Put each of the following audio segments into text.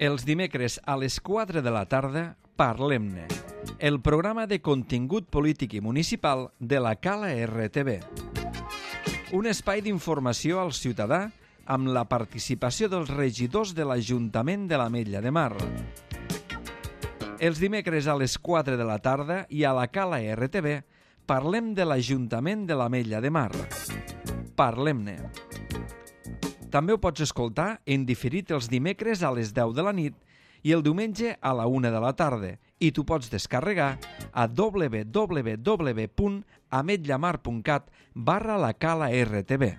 Els dimecres a les 4 de la tarda, Parlem-ne, el programa de contingut polític i municipal de la Cala RTV. Un espai d'informació al ciutadà amb la participació dels regidors de l'Ajuntament de l'Ametlla de Mar. Els dimecres a les 4 de la tarda i a la Cala RTV parlem de l'Ajuntament de l'Ametlla de Mar. Parlem-ne. També ho pots escoltar en diferit els dimecres a les 10 de la nit i el diumenge a la 1 de la tarda i t'ho pots descarregar a www.ametlamar.cat/la Cala RTV.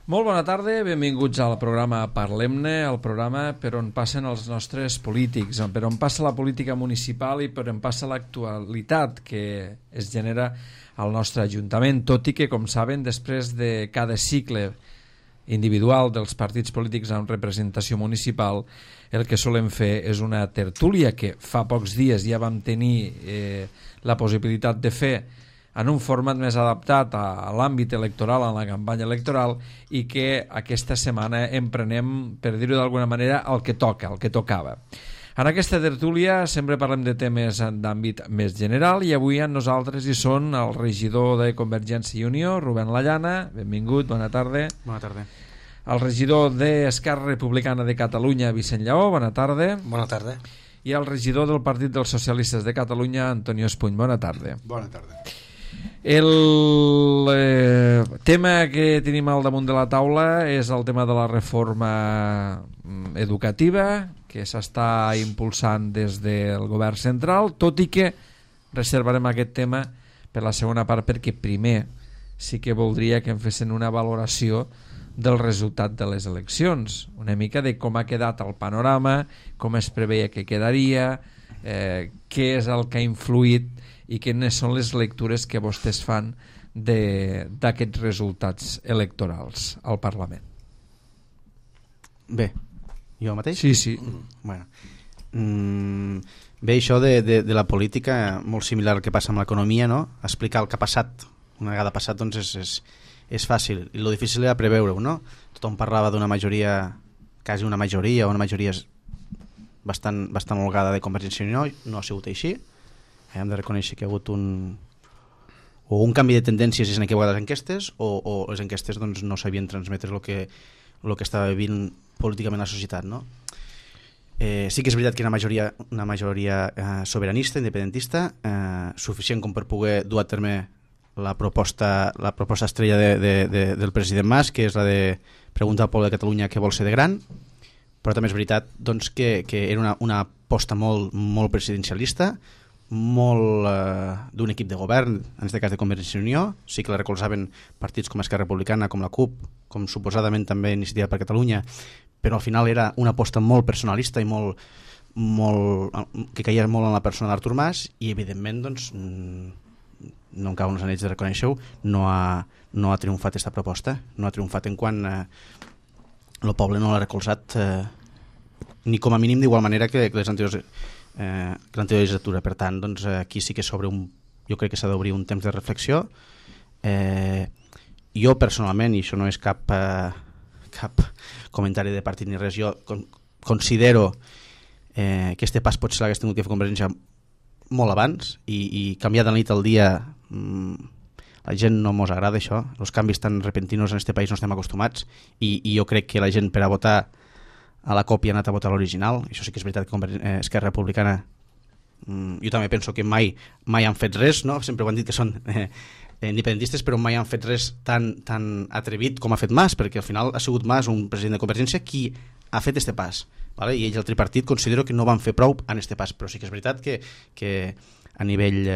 Molt bona tarda, benvinguts al programa Parlem-ne, el programa per on passen els nostres polítics, per on passa la política municipal i per on passa l'actualitat que es genera al nostre Ajuntament, tot i que, com saben, després de cada cicle individual dels partits polítics amb representació municipal, el que solem fer és una tertúlia que fa pocs dies ja vam tenir la possibilitat de fer en un format més adaptat a l'àmbit electoral, a la campanya electoral, i que aquesta setmana emprenem, per dir-ho d'alguna manera, el que toca, el que tocava. En aquesta tertúlia sempre parlem de temes d'àmbit més general i avui amb nosaltres hi són el regidor de Convergència i Unió, Rubén Lallana, benvingut, bona tarda. Bona tarda. El regidor d'Esquerra Republicana de Catalunya, Vicent Lleó, bona tarda. Bona tarda. I el regidor del Partit dels Socialistes de Catalunya, Antonio Espuny, bona tarda. Bona tarda. El tema que tenim al damunt de la taula és el tema de la reforma educativa que s'està impulsant des del govern central, tot i que reservarem aquest tema per la segona part perquè primer sí que voldria que em fessin una valoració del resultat de les eleccions, una mica de com ha quedat el panorama, com es preveia que quedaria, què és el que ha influït i quines són les lectures que vostès fan d'aquests resultats electorals al Parlament. Bé, jo mateix? Sí. Bueno. Bé, això de la política, molt similar al que passa amb l'economia, no? Explicar el que ha passat, una vegada passat, doncs és fàcil, i el difícil era preveure-ho, no? Tothom parlava d'una majoria, quasi una majoria bastant holgada de Convergència i Unió, no ha sigut així. Hem de reconèixer que hi ha hagut un canvi de tendències en aquelles enquestes o les enquestes doncs, no sabien transmetre el que estava vivint políticament la societat, no? Sí que és veritat que hi ha una majoria sobiranista, independentista, suficient com per poder dur a terme la proposta estrella del president Mas, que és la de preguntar al poble de Catalunya què vol ser de gran, però també és veritat doncs, que era una aposta molt presidencialista, molt d'un equip de govern, en aquest cas de Convergència i Unió. Sí que la recolzaven partits com Esquerra Republicana, com la CUP, com suposadament també Iniciativa per Catalunya, però al final era una aposta molt personalista i que caia molt en la persona d'Artur Mas i evidentment doncs, no em cauen els anells de reconèixer-ho, no ha triomfat aquesta proposta, no ha triomfat en quan el poble no l'ha recolzat ni com a mínim d'igual manera que les anteriors l'anterior legislatura. Per tant, doncs, aquí sí que jo crec que s'ha d'obrir un temps de reflexió. Jo personalment, i això no és cap comentari de partit ni res, jo considero que este pas potser l'hagués tingut que fer Convergència molt abans i canviar de la nit al dia. La gent no mos agrada això, els canvis tan repentinos en este país no estem acostumats i jo crec que la gent per a votar a la còpia ha anat a votar l'original. Això sí que és veritat que Esquerra Republicana jo també penso que mai han fet res, no? Sempre ho han dit que són independentistes, però mai han fet res tan atrevit com ha fet Mas, perquè al final ha sigut Mas, un president de Convergència, qui ha fet este pas, vale? I ells, el tripartit, considero que no van fer prou en este pas, però sí que és veritat que a nivell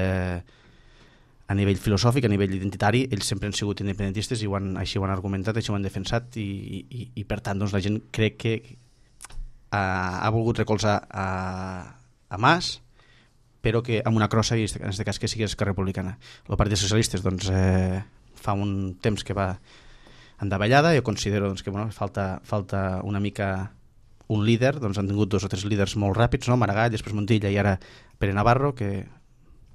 filosòfic, a nivell identitari, ells sempre han sigut independentistes i així ho han argumentat, així ho han defensat i per tant doncs, la gent crec que ha volgut recolzar a Mas, però que amb una crossa, i en aquest cas que sigui Esquerra Republicana. El Partit dels Socialistes doncs, fa un temps que va en davallada. Jo considero doncs, que falta una mica un líder. Doncs han tingut 2 o 3 líders molt ràpids, no? Maragall, després Montilla i ara Pere Navarro, que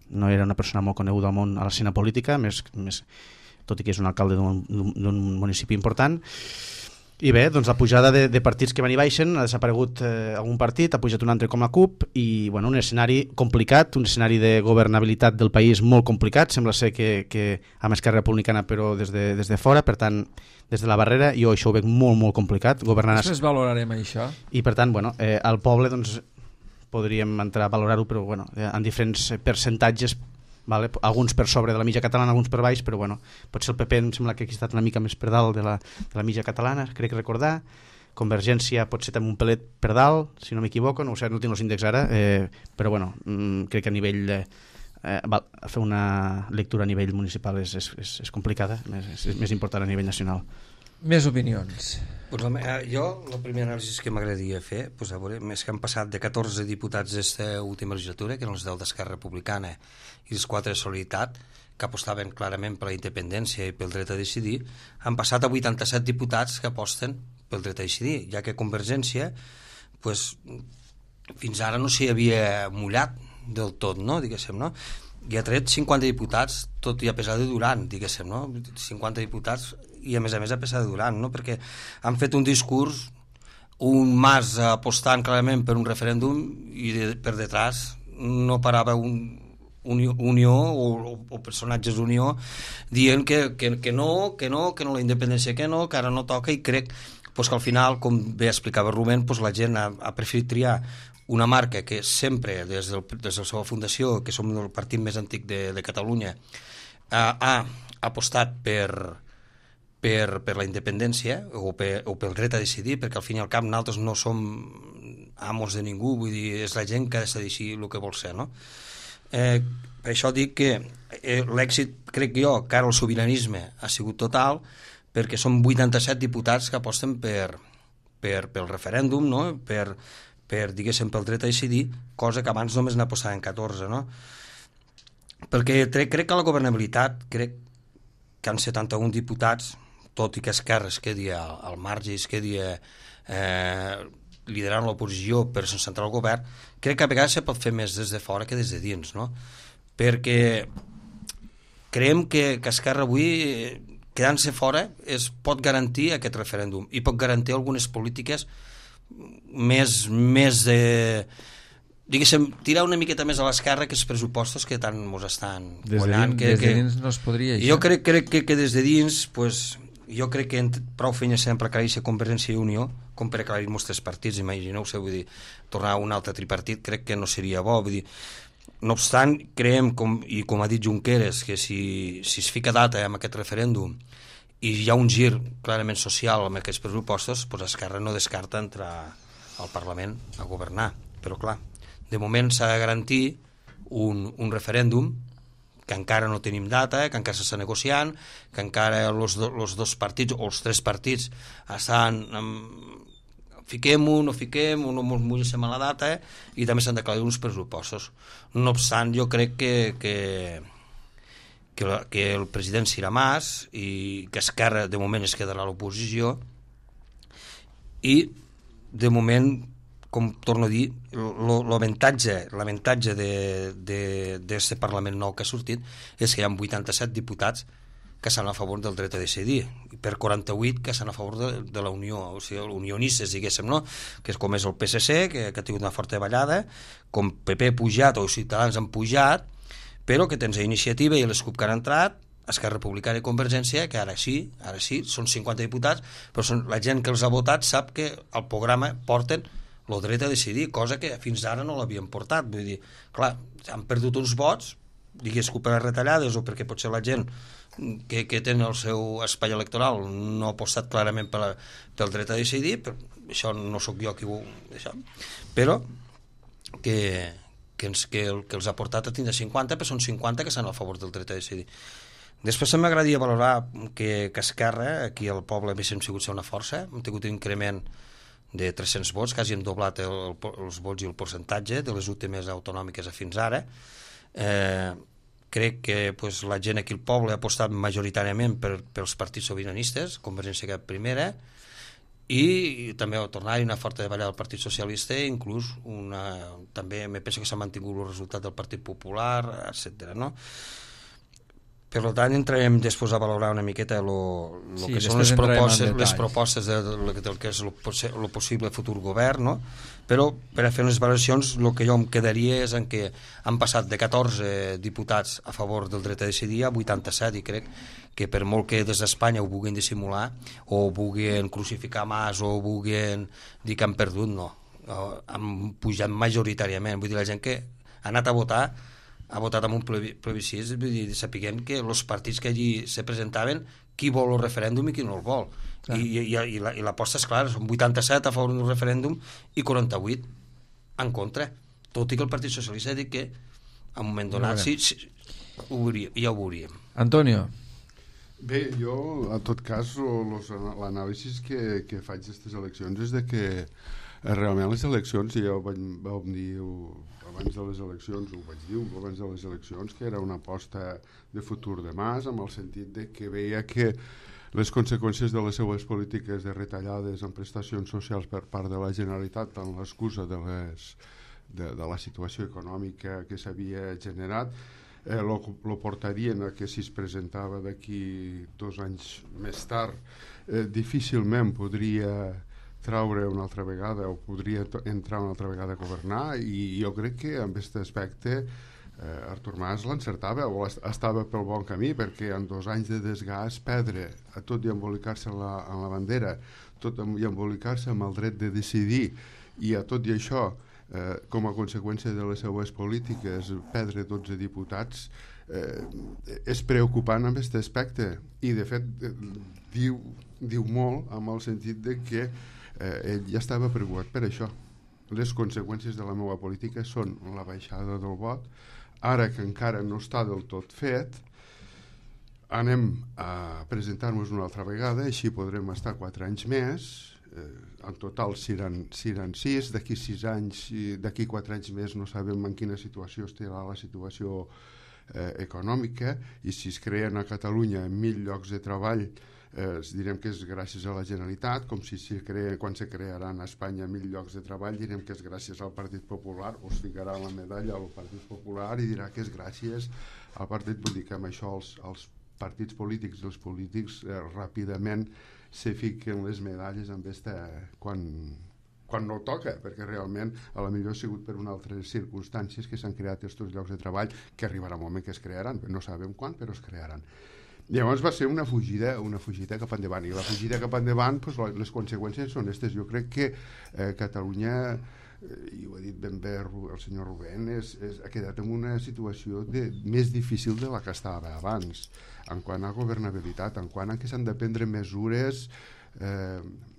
no era una persona molt coneguda al món, a l'escena política, més, tot i que és un alcalde d'un municipi important. I bé, doncs la pujada de partits que van i baixen, ha desaparegut algun partit, ha pujat un altre com la CUP, i bueno, un escenari complicat, un escenari de governabilitat del país molt complicat, sembla ser que amb Esquerra Republicana però des de fora, per tant, des de la barrera, jo això ho veig molt, molt complicat. Després valorarem això. I per tant, bueno, al poble doncs, podríem entrar a valorar-ho, però bueno, en diferents percentatges, vale? Alguns per sobre de la mitja catalana, alguns per baix, però bueno, potser el PP em sembla que ha estat una mica més per dalt de la mitja catalana, crec recordar. Convergència potser també un pelet per dalt, si no m'equivoco, no ho sé, no tinc els índexs ara, però bueno, crec que a nivell fer una lectura a nivell municipal és complicada, és més important a nivell nacional. Més opinions. Pues jo, la primera anàlisi que m'agradaria fer, pues, a veure, més que han passat de 14 diputats d'esta última legislatura, que eren els 10 d'Esquerra Republicana i els 4 de Solidaritat, que apostaven clarament per la independència i pel dret a decidir, han passat a 87 diputats que aposten pel dret a decidir, ja que Convergència pues, fins ara no s'hi havia mullat del tot, no? Diguéssim, no? I ha tret 50 diputats, tot i a pesar de Duran, diguéssim, no? 50 diputats i a més a pesar de Duran, no? Perquè han fet un discurs, un Mas apostant clarament per un referèndum i per detrás no parava Unió o personatges d'Unió dient que no la independència que ara no toca, i crec pues, que al final, com bé explicava Rubén, pues, la gent ha preferit triar una marca que sempre, des de la seva fundació, que som el partit més antic de Catalunya, ha apostat per la independència o pel dret a decidir, perquè al fin i al cap nosaltres no som amos de ningú, vull dir, és la gent que ha de decidir el que vol ser, no? Per això dic que l'èxit, crec jo, que ara el sobiranisme ha sigut total, perquè són 87 diputats que aposten pel referèndum, no? Diguéssim, pel dret a decidir, cosa que abans només n'apostaven 14, no? Perquè crec que la governabilitat, crec que han 71 diputats, tot i que Esquerra es quedi al marge i es quedi liderant l'oposició per centrar el govern, crec que a vegades se pot fer més des de fora que des de dins, no? Perquè creiem que Esquerra avui, quedant-se fora, pot garantir aquest referèndum i pot garantir algunes polítiques més de... diguéssim, tirar una miqueta més a l'esquerra que els pressupostos que tant ens estan guanyant. Des de dins no es podria, això. Jo crec que des de dins, pues, jo crec que prou feina sempre aclarir-se Convergència i Unió, com per aclarir-nos 3 partits, imagineu-se, vull dir, tornar a un altre tripartit, crec que no seria bo, vull dir, no obstant, creiem, com ha dit Junqueras, que si es fica data amb aquest referèndum i hi ha un gir clarament social amb aquests pressupostos, pues Esquerra no descarta entrar al Parlament a governar, però clar, de moment s'ha de garantir un referèndum que encara no tenim data, que encara s'està negociant, que encara els dos partits o els 3 partits estan fiquem-ho, no fiquem, no ens mullem a la data, i també s'han d'aclarir uns pressupostos. No obstant, jo crec que el president serà Mas i que Esquerra de moment es quedarà a l'oposició, i de moment, com torno a dir, l'avantatge d'aquest Parlament nou que ha sortit és que hi ha 87 diputats que estan a favor del dret a decidir, i per 48 que estan a favor de la Unió, o sigui, unionistes, diguéssim, no? Que és com és el PSC, que ha tingut una forta ballada, com PP ha pujat o Ciutadans han pujat, però que tens Iniciativa i les CUP que han entrat, Esquerra Republicana i Convergència, que ara sí, són 50 diputats, però la gent que els ha votat sap que al programa porten el dret a decidir, cosa que fins ara no l'havien portat. Vull dir, clar, han perdut uns vots, digués que per les retallades o perquè potser la gent que té el seu espai electoral no ha apostat clarament pel dret a decidir, però això no sóc jo qui ho... Això. Però que els ha portat a tindre 50, però són 50 que estan a favor del dret a decidir. Després m'agradaria valorar que Esquerra, aquí al poble haguéssim sigut una força, hem tingut un increment de 300 vots, quasi hem doblat els vots i el percentatge de les últimes autonòmiques a fins ara. Crec que la gent aquí al poble ha apostat majoritàriament pels partits sobiranistes, Convergència que primera, i també tornar-hi una forta davallada del Partit Socialista, inclús també me penso que s'ha mantingut el resultat del Partit Popular, etc. No? Per tant, entrarem després a valorar una miqueta que són les propostes del que és el possible futur govern, no? Però per a fer unes valoracions el que jo em quedaria és en que han passat de 14 diputats a favor del dret a decidir a 87, i crec que per molt que des d'Espanya ho vulguin dissimular o vulguin crucificar Mas o vulguin dir que han perdut, no. Han pujat majoritàriament. Vull dir, la gent que ha anat a votar ha votat amb un plebiscit, vull dir, sapiguem que els partits que allí se presentaven, qui vol el referèndum i qui no el vol. I l'aposta és clara, són 87 a favor d'un referèndum i 48 en contra, tot i que el Partit Socialista ha dit que en un moment donat ja ho veuríem. Antonio. Bé, jo, en tot cas, l'anàlisi que faig d'aquestes eleccions és de que realment les eleccions, ja ho vam dir abans de les eleccions, ho vaig dir abans de les eleccions, que era una aposta de futur de Mas, amb el sentit de que veia que les conseqüències de les seues polítiques de retallades en prestacions socials per part de la Generalitat, amb l'excusa de la situació econòmica que s'havia generat, lo portarien a que si es presentava d'aquí 2 anys més tard difícilment podria traure una altra vegada o podria entrar una altra vegada a governar, i jo crec que en aquest aspecte Artur Mas l'encertava o estava pel bon camí, perquè en 2 anys de desgast perdre a tot i embolicar-se en la bandera, tot i embolicar-se amb el dret de decidir, i a tot i això com a conseqüència de les seues polítiques perdre 12 diputats és preocupant en aquest aspecte, i de fet diu molt amb el sentit de que ell ja estava preocupat per això. Les conseqüències de la meva política són la baixada del vot. Ara que encara no està del tot fet, anem a presentar-nos una altra vegada, així podrem estar 4 anys més. En total seran 6, d'aquí 6 anys, d'aquí 4 anys més no sabem en quina situació estarà la situació econòmica, i si es creen a Catalunya 1.000 llocs de treball, direm que és gràcies a la Generalitat, com si quan se crearan a Espanya 1.000 llocs de treball direm que és gràcies al Partit Popular, o es ficarà la medalla al Partit Popular i dirà que és gràcies al partit. Vull dir que amb això els partits polítics i els polítics ràpidament se fiquen les medalles amb quan no toca, perquè realment a la millor ha sigut per unes altres circumstàncies que s'han creat aquests llocs de treball, que arribarà un moment que es crearan, no sabem quan, però es crearan. Llavors va ser una fugida cap endavant, i la fugida cap endavant, doncs, les conseqüències són aquestes. Jo crec que Catalunya, i ho ha dit ben bé el senyor Rubén, ha quedat en una situació més difícil de la que estava abans, en quant a governabilitat, en quant a que s'han de prendre mesures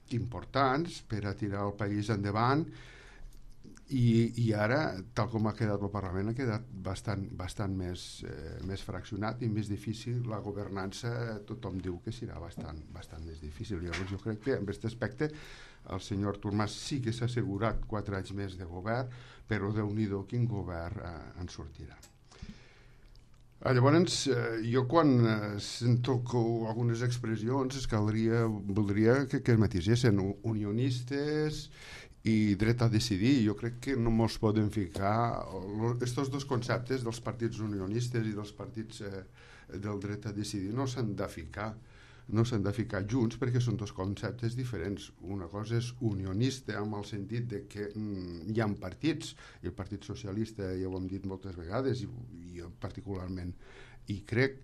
importants per a tirar el país endavant, i ara, tal com ha quedat el Parlament, ha quedat bastant més fraccionat i més difícil. La governança, tothom diu que serà bastant més difícil. Llavors jo crec que en aquest aspecte el senyor Artur Mas sí que s'ha assegurat 4 anys més de govern, però Déu-n'hi-do quin govern en sortirà. Llavors, jo quan sento algunes expressions voldria que matisessin unionistes i dret a decidir. Jo crec que no mos poden ficar aquests 2 conceptes dels partits unionistes i dels partits del dret a decidir, no s'han de ficar junts, perquè són 2 conceptes diferents. Una cosa és unionista amb el sentit de que hi ha partits, i el Partit Socialista ja ho hem dit moltes vegades, i jo particularment i crec,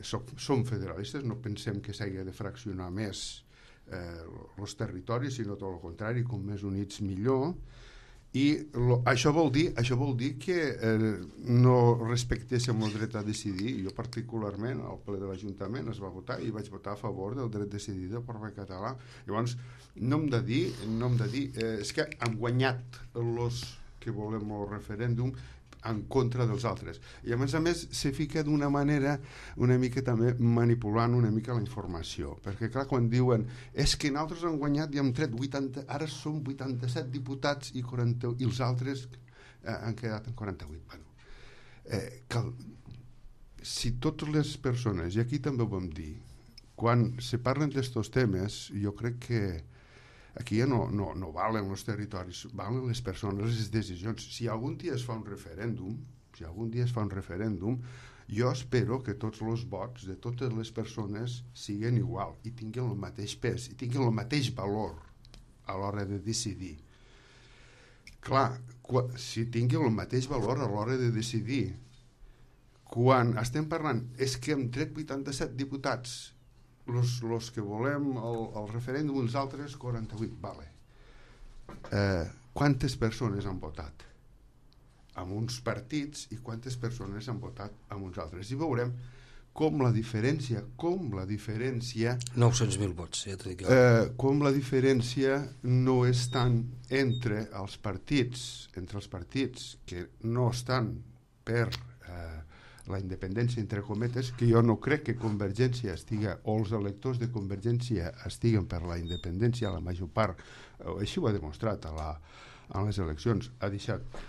som federalistes, no pensem que s'hagi de fraccionar més els territoris, sinó tot el contrari, com més units millor, i això vol dir que no respectéssim el dret a decidir. Jo particularment al ple de l'Ajuntament es va votar i vaig votar a favor del dret a decidir del poble català. Llavors no hem de dir és que hem guanyat els que volem el referèndum en contra dels altres, i a més se fica d'una manera una mica també manipulant una mica la informació, perquè clar, quan diuen és que nosaltres hem guanyat i hem tret 80, ara som 87 diputats i els altres han quedat en 48. Si totes les persones, i aquí també ho vam dir, quan se parlen d'estos temes, jo crec que aquí ja no valen els territoris, valen les persones, les decisions. Si algun dia es fa un referèndum, jo espero que tots els vots de totes les persones siguin igual i tinguin el mateix pes i tinguin el mateix valor a l'hora de decidir. Clar, si tinguin el mateix valor a l'hora de decidir, quan estem parlant, és que hem tret 87 diputats, els que volem el referèndum, els altres 48, vale. Quantes persones han votat? Amb uns partits i quantes persones han votat amb uns altres. I veurem com la diferència 900.000 vots, ja t'ho dic jo. Com la diferència no és tant entre els partits que no estan per la independència, entre cometes, que jo no crec que Convergència estiga, o els electors de Convergència estiguen per la independència, la major part, així ho ha demostrat a les eleccions,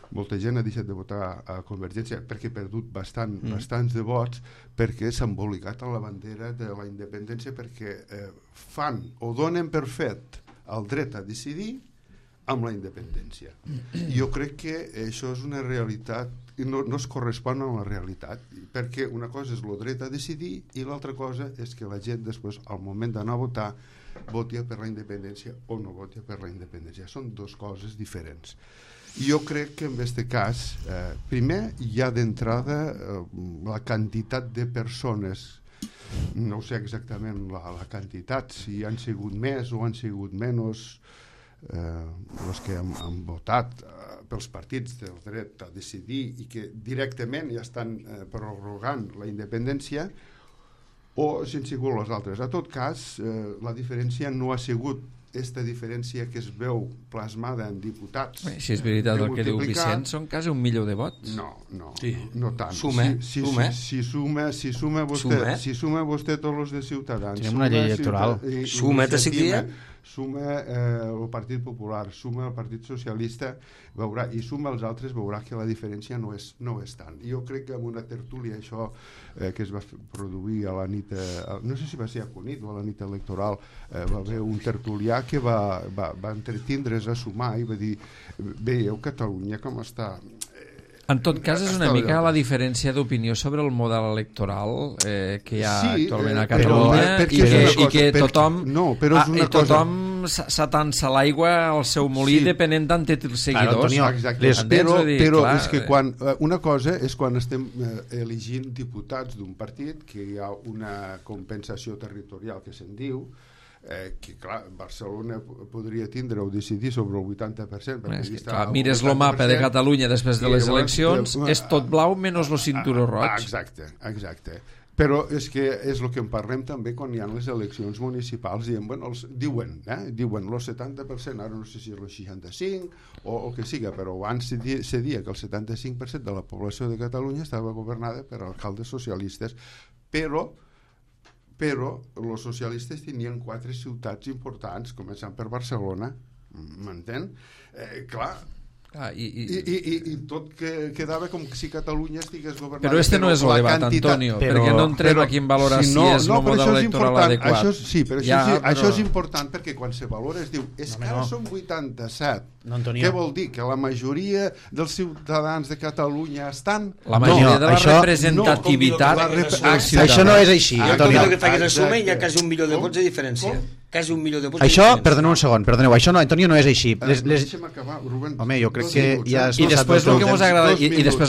molta gent ha deixat de votar a Convergència perquè ha perdut bastants de vots, perquè s'ha embolicat a la bandera de la independència, perquè fan o donen per fet el dret a decidir amb la independència. Jo crec que això és una realitat i no es correspon a la realitat, perquè una cosa és el dret a decidir i l'altra cosa és que la gent després, al moment d'anar a votar, voti per la independència o no voti per la independència. Són dues coses diferents. Jo crec que en aquest cas, primer, hi ha d'entrada la quantitat de persones, no sé exactament la quantitat, si han sigut més o han sigut menys, els que han votat pels partits del dret a decidir i que directament ja estan prorrogant la independència, o si han sigut les altres. A tot cas, la diferència no ha sigut aquesta diferència que es veu plasmada en diputats. Si és veritat el que diu Vicent, són quasi 1 milió de vots. No tant. Si suma vostè tots els de Ciutadans, tenim una llei electoral. Suma el Partit Popular, suma el Partit Socialista, veurà, i suma els altres, veurà que la diferència no és tant. Jo crec que amb una tertúlia, això que es va produir a la nit, no sé si va ser a Cunit o a la nit electoral, va haver un tertulià que va entretindre's a sumar i va dir, veieu Catalunya com està... En tot cas, és una mica la diferència d'opinió sobre el model electoral que hi ha actualment a Catalunya i que tothom s'atansa l'aigua al seu molí depenent d'on té els seguidors. Però és que una cosa és quan estem elegint diputats d'un partit que hi ha una compensació territorial que se'n diu, que clar, Barcelona podria tindre o decidir sobre el 80%. Mires el mapa de Catalunya després de les eleccions, és tot blau menys el cinturó roig. Exacte. Però és que és el que en parlem també quan hi ha les eleccions municipals, diuen el 70%, ara no sé si és el 65% o el que siga, però abans se dia que el 75% de la població de Catalunya estava governada per alcaldes socialistes, però els socialistes tenien 4 ciutats importants, començant per Barcelona, m'entén? Clar, i tot quedava com si Catalunya estigués governada. Però no és el debat, Antonio, perquè no entrem aquí en valorar si és el model electoral adequat. Sí, però això és important, perquè quan se valora es diu és que ara són 87. Què vol dir? Que la majoria dels ciutadans de Catalunya estan... La majoria de la representativitat... Això no és així, Antonio. Que facis el sume hi ha quasi 1 milió de vots de diferència. Quasi 1 milió de vots. Això, perdoneu un segon, això no, Antonio, no és així. Deixa'm acabar, Rubén. Home, jo crec que ja... I després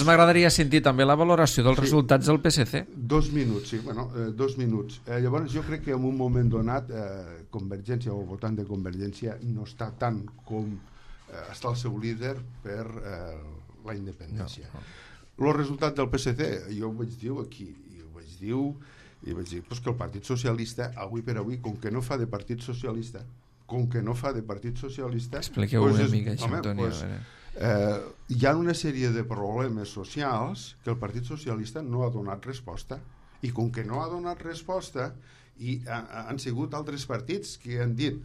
m'agradaria sentir també la valoració dels resultats del PSC. 2 minuts, sí, 2 minuts. Llavors jo crec que en un moment donat Convergència o votant de Convergència no està tant com està el seu líder per la independència. El resultat del PSC, jo ho vaig dir aquí, i vaig dir que el Partit Socialista, avui per avui, com que no fa de Partit Socialista, expliqueu una mica això, Antonio. Hi ha una sèrie de problemes socials que el Partit Socialista no ha donat resposta, i com que no ha donat resposta i han sigut altres partits que han dit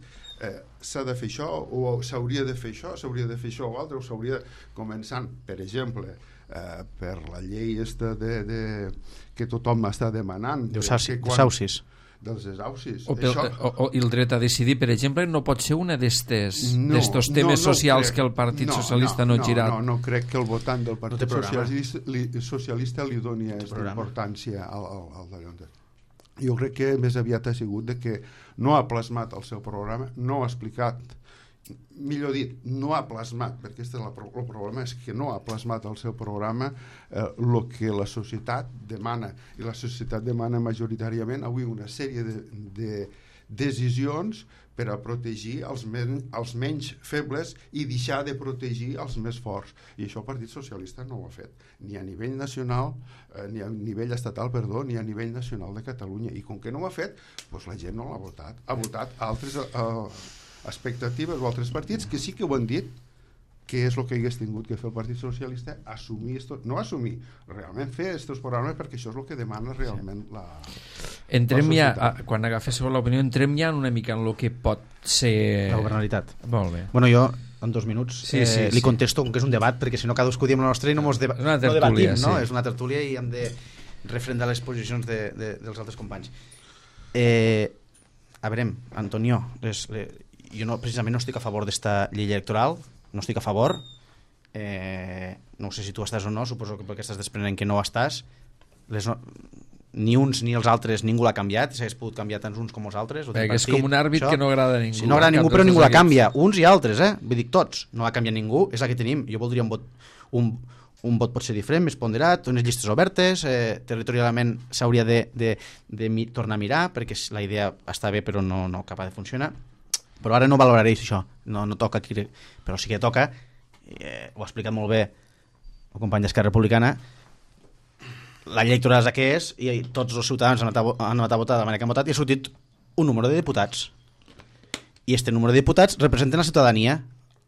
s'ha de fer això o s'hauria de fer això o altre, o s'hauria començant, per exemple, per la llei que tothom està demanant de Sausis, dels desaucis. I el dret a decidir, per exemple, no pot ser una d'estos temes socials que el Partit Socialista no ha girat. No crec que el votant del Partit Socialista li doni aquesta importància al d'allò. Jo crec que més aviat ha sigut de que no ha plasmat el seu programa, no ha explicat, millor dit, no ha plasmat, perquè el problema és que no ha plasmat el seu programa el que la societat demana, i la societat demana majoritàriament avui una sèrie de decisions per a protegir els menys febles i deixar de protegir els més forts, i això el Partit Socialista no ho ha fet, ni a nivell nacional, ni a nivell estatal, ni a nivell nacional de Catalunya, i com que no ho ha fet, doncs la gent no l'ha votat, ha votat altres expectatives o altres partits que sí que ho han dit, que és el que hagués tingut que fer el Partit Socialista, assumir no assumir, realment fer aquests programes, perquè això és el que demana realment la entrem ja, quan agaféssiu l'opinió, entrem ja una mica en el que pot ser la governabilitat. Molt bé. Bueno, jo en 2 minuts li contesto, com que és un debat, perquè si no cadascú diem la nostra i no debatim, no? És una tertúlia i hem de refrendar les posicions dels altres companys. A veure, Antonio, jo precisament no estic a favor d'esta llei electoral, no estic a favor, no sé si tu estàs o no, suposo que perquè estàs desprenent que no estàs, ni uns ni els altres ningú l'ha canviat, s'hagués pogut canviar tant uns com els altres, és com un àrbit que no agrada a ningú. Si no agrada a ningú, però ningú la canvia, uns i altres, vull dir tots, no la canvia ningú, és la que tenim. Jo voldria un vot pot ser diferent, més ponderat, unes llistes obertes, territorialment s'hauria de tornar a mirar, perquè la idea està bé però no acaba de funcionar. Però ara no valoraré això, no toca aquí, però sí que toca, ho ha explicat molt bé el company d'Esquerra Republicana, la llei electoral és la que és i tots els ciutadans han anat a votar de la manera que han votat i ha sortit un número de diputats. I este número de diputats representen la ciutadania,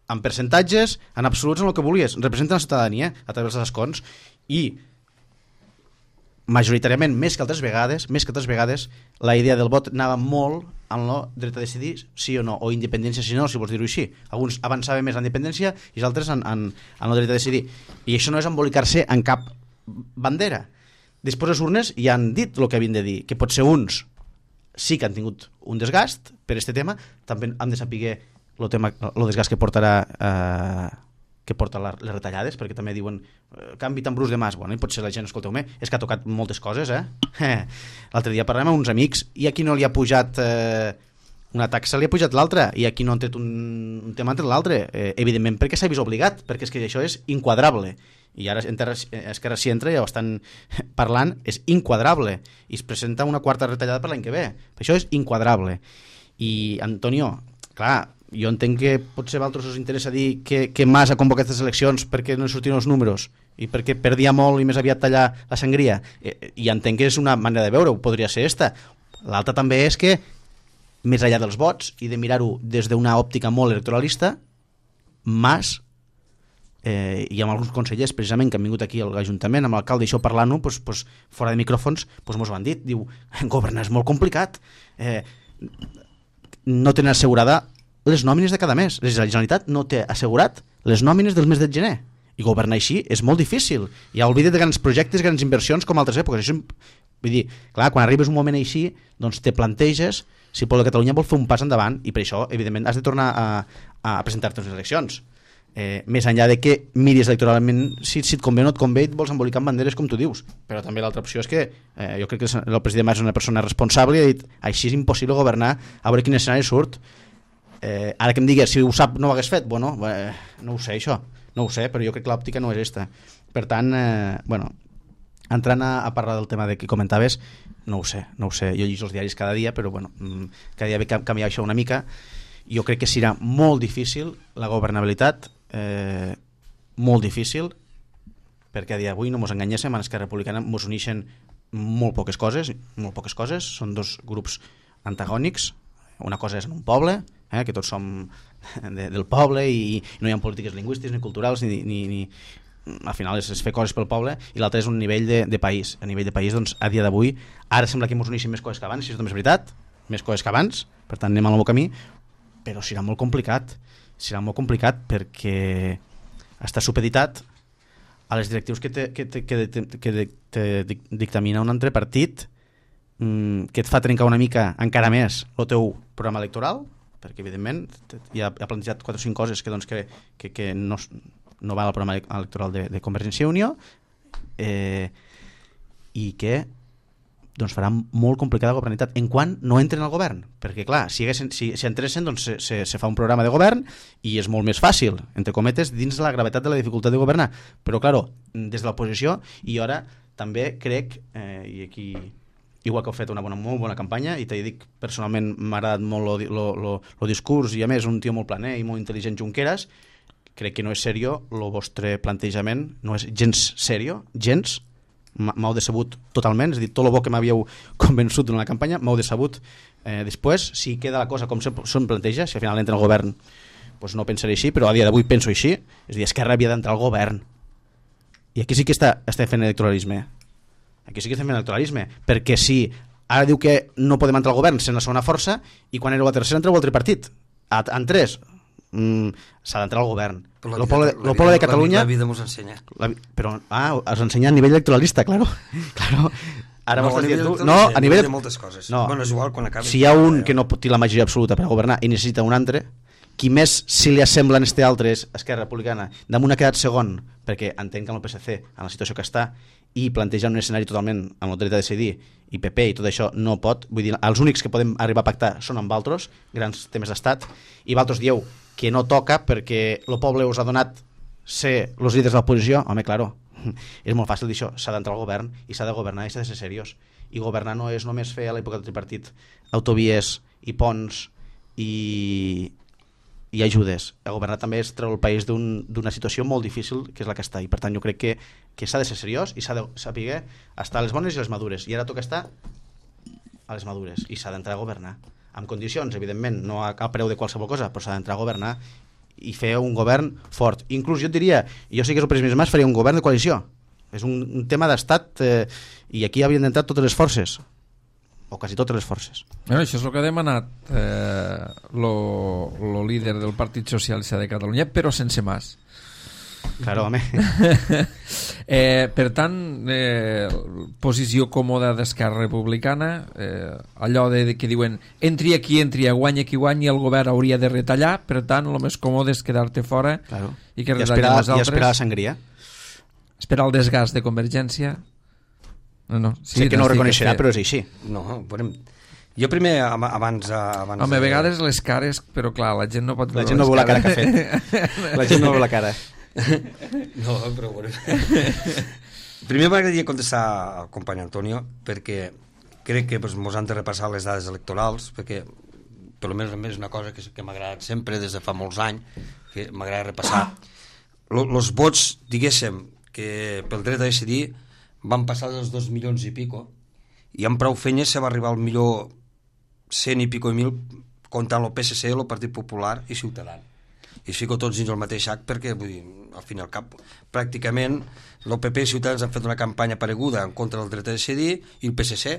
en percentatges, en absoluts, en el que vulguis, representen la ciutadania a través dels escons i majoritàriament, més que altres vegades, la idea del vot anava molt en el dret a decidir sí o no, o independència sí o no, si vols dir-ho així. Alguns avançaven més en la independència i els altres en el dret a decidir. I això no és embolicar-se en cap bandera. Després les urnes ja han dit el que havien de dir, que potser uns sí que han tingut un desgast per aquest tema, també han de saber el desgast que portarà que porta les retallades, perquè també diuen canvi tan brusc de mas, bueno, i potser la gent, escolteu-me, és que ha tocat moltes coses, l'altre dia parlem amb uns amics i aquí no li ha pujat una taxa, li ha pujat l'altra, i aquí no han tret un tema entre l'altre, evidentment perquè s'ha vist obligat, perquè és que això és inquadrable, i ara Esquerra s'hi entra i ja ho estan parlant, és inquadrable, i es presenta una quarta retallada per l'any que ve, això és inquadrable. I Antonio, clar, jo entenc que potser a vosaltres us interessa dir que Mas ha convocat aquestes eleccions perquè no sortien els números i perquè perdia molt i més aviat tallar la sangria, i entenc que és una manera de veure-ho, podria ser esta. L'altra també és que més enllà dels vots i de mirar-ho des d'una òptica molt electoralista, Mas i amb alguns consellers precisament que han vingut aquí a l'Ajuntament amb l'alcalde i això parlant-ho fora de micròfons mos ho han dit, diu, governar és molt complicat, no tenen assegurada les nòmines de cada mes. La Generalitat no té assegurat les nòmines del mes de gener. I governar així és molt difícil. Ja oblida't de grans projectes, grans inversions com altres èpoques. Això, vull dir, clar, quan arribes un moment així, doncs te planteges si el poble de Catalunya vol fer un pas endavant i per això, evidentment, has de tornar a presentar-te a les eleccions. Més enllà de que miris electoralment si et convé o no et convé i et vols embolicar amb banderes com tu dius. Però també l'altra opció és que jo crec que el president Mas és una persona responsable i ha dit, així és impossible governar, a veure quin escenari surt. Ara que em digues si ho sap no ho hagués fet, bueno, no ho sé això, no ho sé, però jo crec que l'òptica no és esta. Per tant, bueno, entrant a parlar del tema de que comentaves, no ho sé, jo llegeixo els diaris cada dia, però bueno, cada dia ve canviar això una mica. Jo crec que serà molt difícil la governabilitat, molt difícil, perquè a dia d'avui no mos enganyéssim, en Esquerra Republicana mos uneixen molt poques coses, són dos grups antagònics. Una cosa és en un poble, que tots som del poble i no hi ha polítiques lingüístiques ni culturals ni al final és fer coses pel poble, i l'altre és un nivell de país. A nivell de país, doncs, a dia d'avui ara sembla que ens uneixin més coses que abans, si això també és veritat, més coses que abans, per tant anem al meu camí, però serà molt complicat perquè està supeditat a les directius que te dictamina un altre partit que et fa trencar una mica encara més el teu programa electoral, perquè evidentment ja ha plantejat 4 o 5 coses que, doncs, que no va al programa electoral de Convergència i Unió, i que doncs farà molt complicada la governabilitat en quan no entren al govern, perquè clar, si entressin doncs se fa un programa de govern i és molt més fàcil, entre cometes, dins la gravetat de la dificultat de governar, però claro, des de l'oposició, i ara també crec, i aquí igual que heu fet una molt bona campanya, i t'he dit personalment m'ha agradat molt el discurs, i a més un tio molt planer i molt intel·ligent, Junqueras, crec que no és serio el vostre plantejament, no és gens serio, gens. M'heu decebut totalment, és a dir, tot el bo que m'havíeu convençut durant la campanya m'heu decebut després, si queda la cosa com se'm planteja, si al final entra al govern doncs no pensaré així, però a dia d'avui penso així, és a dir, Esquerra havia d'entrar al govern, i aquí sí que estem fent electoralisme, perquè si ara diu que no podem entrar al govern sent la segona força, i quan éreu la tercera entreu al tripartit, en 3 s'ha d'entrar al govern. El poble de Catalunya... La vida mos ensenya. Però, us ensenya a nivell electoralista, claro. Ara no, a nivell de moltes coses. No. Bueno, és igual quan acabi. Si hi ha un que no té la majoria absoluta per a governar i necessita un altre, qui més si li assembla en este altre és Esquerra Republicana. Damunt ha quedat segon, perquè entenc que amb el PSC, en la situació que està, i planteja un escenari totalment amb el dret a decidir, i PP i tot això no pot, vull dir, els únics que podem arribar a pactar són amb altres, grans temes d'estat, i vosaltres dieu que no toca perquè el poble us ha donat ser els líders de l'oposició. Home, claro, és molt fàcil dir això, s'ha d'entrar al govern i s'ha de governar i s'ha de ser seriós, i governar no és només fer a l'època del tripartit autovies i ponts i ajudes. A governar també és treure el país d'una situació molt difícil que és la que està, i per tant jo crec que s'ha de ser seriós i s'ha de saber estar a les bones i a les madures, i ara toca estar a les madures i s'ha d'entrar a governar amb condicions, evidentment, no a preu de qualsevol cosa, però s'ha d'entrar a governar i fer un govern fort. Inclús jo et diria, jo sí que és el President Mas, faria un govern de coalició. És un tema d'estat, i aquí havien d'entrar totes les forces, o quasi totes les forces. Bueno, això és el que ha demanat el líder del Partit Socialista de Catalunya, però sense Mas. Claro, home. Per tant, posició còmoda d'Esquerra Republicana, allò que diuen entri aquí, guanya qui guanyi, el govern hauria de retallar, per tant, el més còmode és quedar-te fora, claro, i que retallin els altres. I esperar la sangria. Esperar el desgast de Convergència. No. Sí, sé que no ho reconeixerà, però és així. No, jo primer, abans... Home, a vegades les cares, però clar, la gent no pot veure. La gent no veu la cara que ha fet. La gent no veu la cara. No, però bueno. Primer m'agradaria contestar al company Antonio, perquè crec que mos han de repassar les dades electorals, perquè per almenys és una cosa que m'ha agradat sempre des de fa molts anys, que m'agrada repassar. Els vots, diguéssim, que pel dret a decidir van passar dels 2 milions i pico, i amb prou feines se va arribar al millor 100 i pico mil comptant el PSC, el Partit Popular i Ciutadans. I es fico tots dins el mateix sac perquè, vull dir, al fin i al cap, pràcticament el PP i Ciutadans han fet una campanya pareguda en contra del dret a decidir, i el PSC,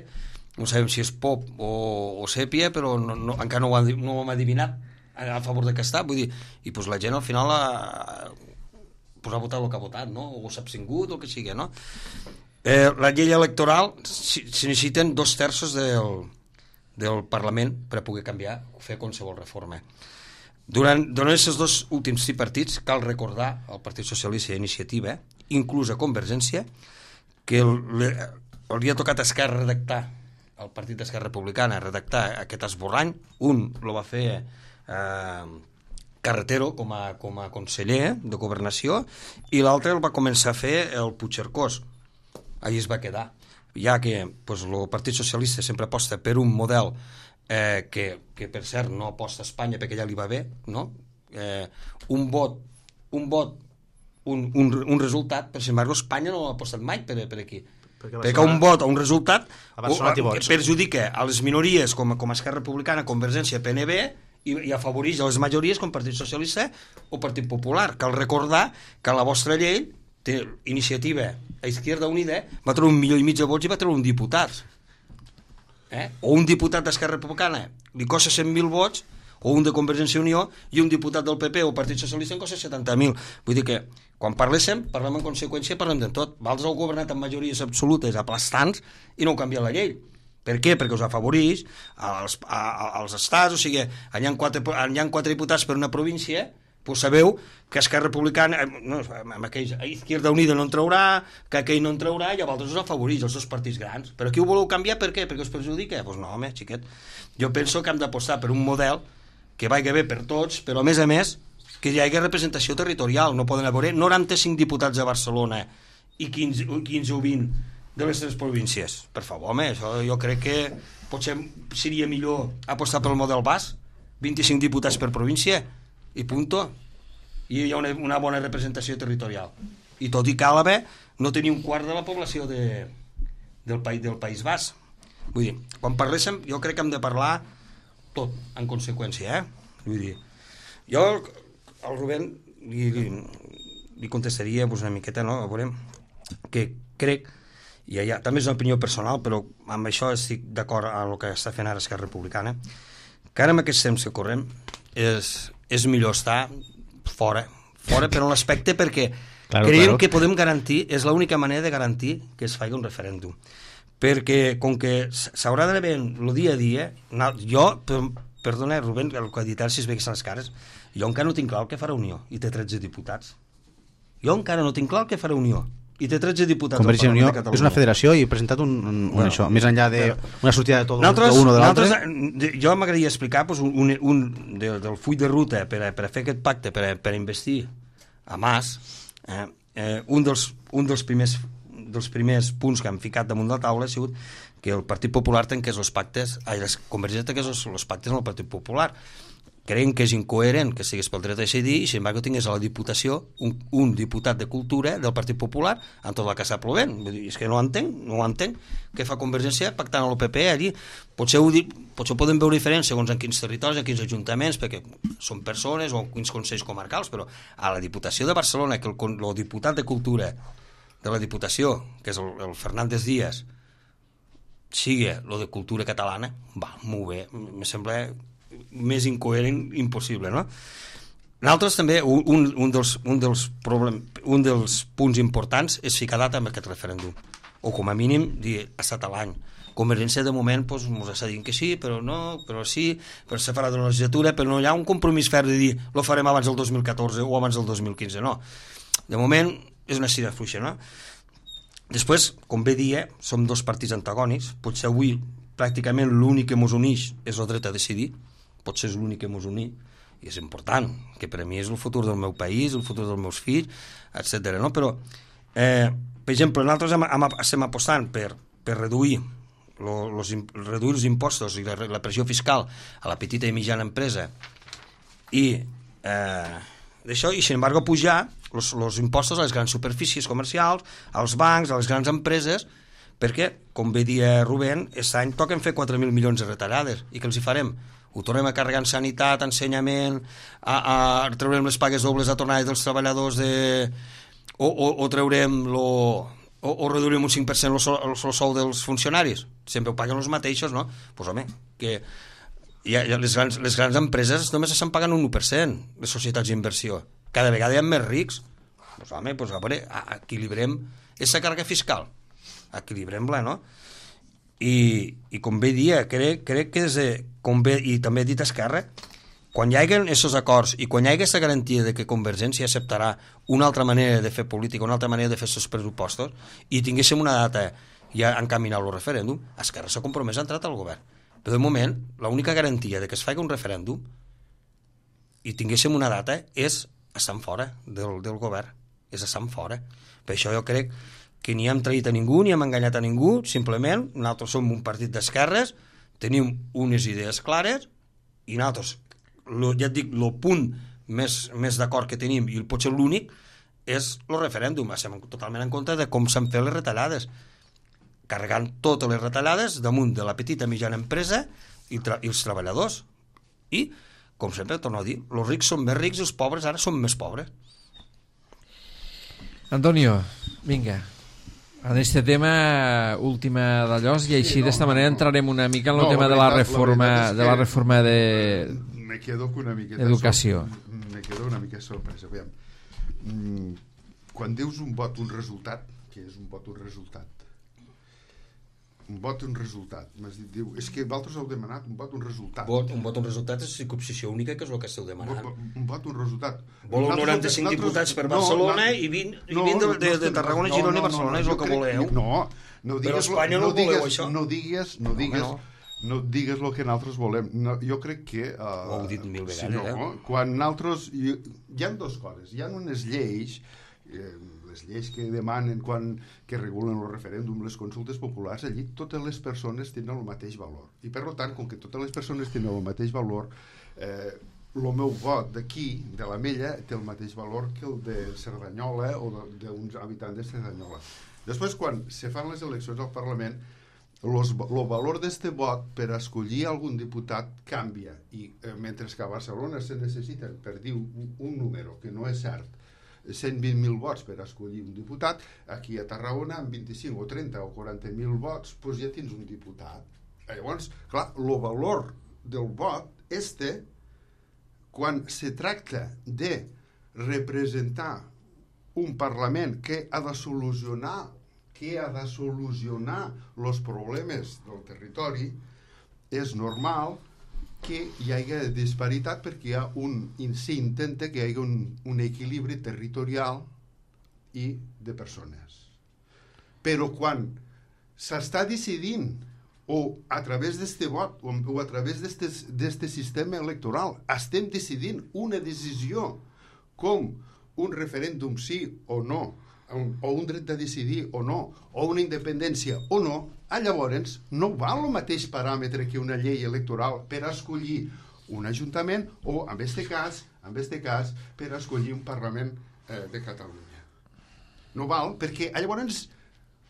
no sabem si és pop o sèpia, però encara no ho hem adivinat a favor de què està, vull dir, i pues la gent al final ha votat el que ha votat, no? O s'ha abstingut o el que sigui, no? La llei electoral s'hi necessiten 2/3 del Parlament per a poder canviar o fer qualsevol reforma. Durant aquests 2 últims tripartits cal recordar al Partit Socialista i a Iniciativa, inclús a Convergència, que li ha tocat a Esquerra redactar, al Partit d'Esquerra Republicana, redactar aquest esborrany. Un el va fer Carretero com a conseller de Governació, i l'altre el va començar a fer el Puigcercós. Allí es va quedar, ja que el Partit Socialista sempre aposta per un model que per cert no aposta a Espanya perquè ja li va bé, no? Un vot, un resultat, per embargo Espanya no ha apostat mai per aquí, perquè un vot o un resultat perjudica a les minories com a Esquerra Republicana, Convergència, PNB, i afavoreix a les majories com Partit Socialista o Partit Popular. Cal recordar que la vostra llei té Iniciativa a Izquierda Unida, va treure 1,5 milió de vots i va treure un diputat. O un diputat d'Esquerra Republicana li costa 100.000 vots, o un de Convergència i Unió, i un diputat del PP o Partit Socialista en costa 70.000. Vull dir que quan parlem en conseqüència, parlem de tot. Vosaltres heu governat amb majories absolutes aplastants i no heu canviat la llei. Per què? Perquè us afavoreix als estats, o sigui, hi ha 4 diputats per una província, doncs sabeu que Esquerra Republicana, amb aquells, Izquierda Unida no en traurà, que aquell no en traurà, i a vosaltres us afavoreix, els dos partits grans. Però aquí ho voleu canviar per què? Perquè us perjudica? Doncs no, home, xiquet. Jo penso que hem d'apostar per un model que vagi bé per tots, però a més, que hi hagi representació territorial. No poden haver 95 diputats a Barcelona i 15 o 20 de les 3 províncies. Per favor, home, això jo crec que potser seria millor apostar pel model basc, 25 diputats per província, i punto. I hi ha una bona representació territorial. I tot i cal haver, no tenir un quart de la població del País Basc. Vull dir, quan parléssim, jo crec que hem de parlar tot, en conseqüència, Vull dir, jo al Rubén li contestaria una miqueta, no? A veure, que crec, i ja, també és una opinió personal, però amb això estic d'acord amb el que està fent ara Esquerra Republicana, que ara en aquests temps que correm és millor estar fora però en l'aspecte perquè creiem que podem garantir, és l'única manera de garantir que es faci un referèndum, perquè com que s'haurà d'haver el dia a dia, jo, perdona Rubén, el que ha dit si es veguessin les cares, jo encara no tinc clar el que farà Unió i té 13 diputats, jo encara no tinc clar el que farà Unió i té 13 diputats. Convergència i Unió és una federació i he presentat això, més enllà d'una sortida de tot un o de l'altre. Jo m'agradaria explicar del full de ruta per a fer aquest pacte, per a investir a Mas, un dels primers punts que han ficat damunt de la taula ha sigut que el Partit Popular tanqués els pactes, Convergència tanqués els pactes amb el Partit Popular. Creiem que és incoherent que sigués pel dret a decidir i sin embargo tingués a la Diputació un diputat de Cultura del Partit Popular amb tot el que està plovent. És que no ho entenc. Què fa Convergència pactant amb el PP allí? Potser ho podem veure diferent segons en quins territoris, en quins ajuntaments, perquè són persones o en quins consells comarcals, però a la Diputació de Barcelona, que el diputat de Cultura de la Diputació, que és el Fernández Díaz, sigui lo de Cultura catalana, va, molt bé, me sembla més incoherent impossible, no? Nosaltres també, un dels punts importants és ficar data amb aquest referèndum, o com a mínim dir ha estat a l'any. Convergència de moment ens està dient que sí, però no, però sí, però se farà de la legislatura, però no hi ha un compromís ferm de dir lo farem abans del 2014 o abans del 2015, no. De moment és una cira fluixa, no? Després, com bé dia, som dos partits antagònics, potser avui pràcticament l'únic que ens uneix és el dret a decidir, potser és l'únic que ens uneix, i és important, que per a mi és el futur del meu país, el futur dels meus fills, etc. No? Però, per exemple, nosaltres estem apostant per reduir els impostos i la pressió fiscal a la petita i mitjana empresa i d'això, i sin embargo pujar els impostos a les grans superfícies comercials, als bancs, a les grans empreses, perquè, com bé dia Rubén, aquest any toquen fer 4.000 milions de retallades, i què els hi farem? Ho tornem a carregar en sanitat, ensenyament, traurem les pagues dobles a tornades dels treballadors o traurem o reduirem un 5% el sou dels funcionaris, sempre ho paguen els mateixos, no? Doncs home, que les grans empreses només estan pagant un 1%, les societats d'inversió, cada vegada hi ha més rics, doncs home, a veure, equilibrem aquesta càrrega fiscal, equilibrem-la, no? I com bé dia, crec que i també he dit Esquerra, quan hi hagi aquests acords i quan hi hagi aquesta garantia de que Convergència acceptarà una altra manera de fer política, una altra manera de fer els pressupostos, i tinguéssim una data ja encaminat el referèndum, Esquerra s'ha compromès a entrar al govern. Però de moment, l'única garantia de que es faci un referèndum i tinguéssim una data és estar fora del govern, és estar fora. Per això jo crec que ni hem traït a ningú, ni hem enganyat a ningú, simplement nosaltres som un partit d'esquerres, tenim unes idees clares, i nosaltres, ja et dic, el punt més d'acord que tenim, i potser l'únic, és el referèndum. Estem totalment en contra de com s'han fet les retallades, carregant totes les retallades damunt de la petita i mitjana empresa i els treballadors. I, com sempre, torno a dir, els rics són més rics i els pobres ara són més pobres. Antonio, vinga, en este tema última d'allò, i així d'esta manera entrarem una mica en el tema de la reforma me quedo una miqueta d'educació. Me quedo una mica sorpresa. Quan dius un vot, un resultat, que és un vot, un resultat, un vot, un resultat. M'has dit, diu, és que vosaltres heu demanat un vot, un resultat. Un vot, un resultat és circumscripció única, que és el que esteu demanant. Un vot, un resultat. Voleu 95 diputats per Barcelona i 20 de Tarragona, Girona i Barcelona, és el que voleu. No però Espanya no voleu, això. No digues el que nosaltres volem. Jo crec que... Ho heu dit mil vegades, quan nosaltres... Hi ha dues coses. Hi ha unes lleis... les lleis que demanen que regulen el referèndum, les consultes populars, allí totes les persones tenen el mateix valor. I per tant, com que totes les persones tenen el mateix valor, el meu vot d'aquí, de l'Ametlla, té el mateix valor que el de Cerdanyola o d'uns habitants de Cerdanyola. Després, quan se fan les eleccions al Parlament, el valor d'aquest vot per escollir algun diputat canvia. I mentre que a Barcelona se necessiten, per dir un número que no és cert, 120.000 vots per escollir un diputat, aquí a Tarragona amb 25 o 30 o 40.000 vots doncs ja tens un diputat. Llavors, clar, el valor del vot quan se tracta de representar un Parlament que ha de solucionar els problemes del territori, és normal que hi hagi disparitat perquè s'intenta que hi hagi un equilibri territorial i de persones. Però quan s'està decidint o a través d'aquest vot o a través d'aquest sistema electoral estem decidint una decisió com un referèndum sí o no, o un dret de decidir o no, o una independència o no, llavors no val el mateix paràmetre que una llei electoral per escollir un ajuntament o, en aquest cas, per escollir un Parlament de Catalunya. No val, perquè llavors,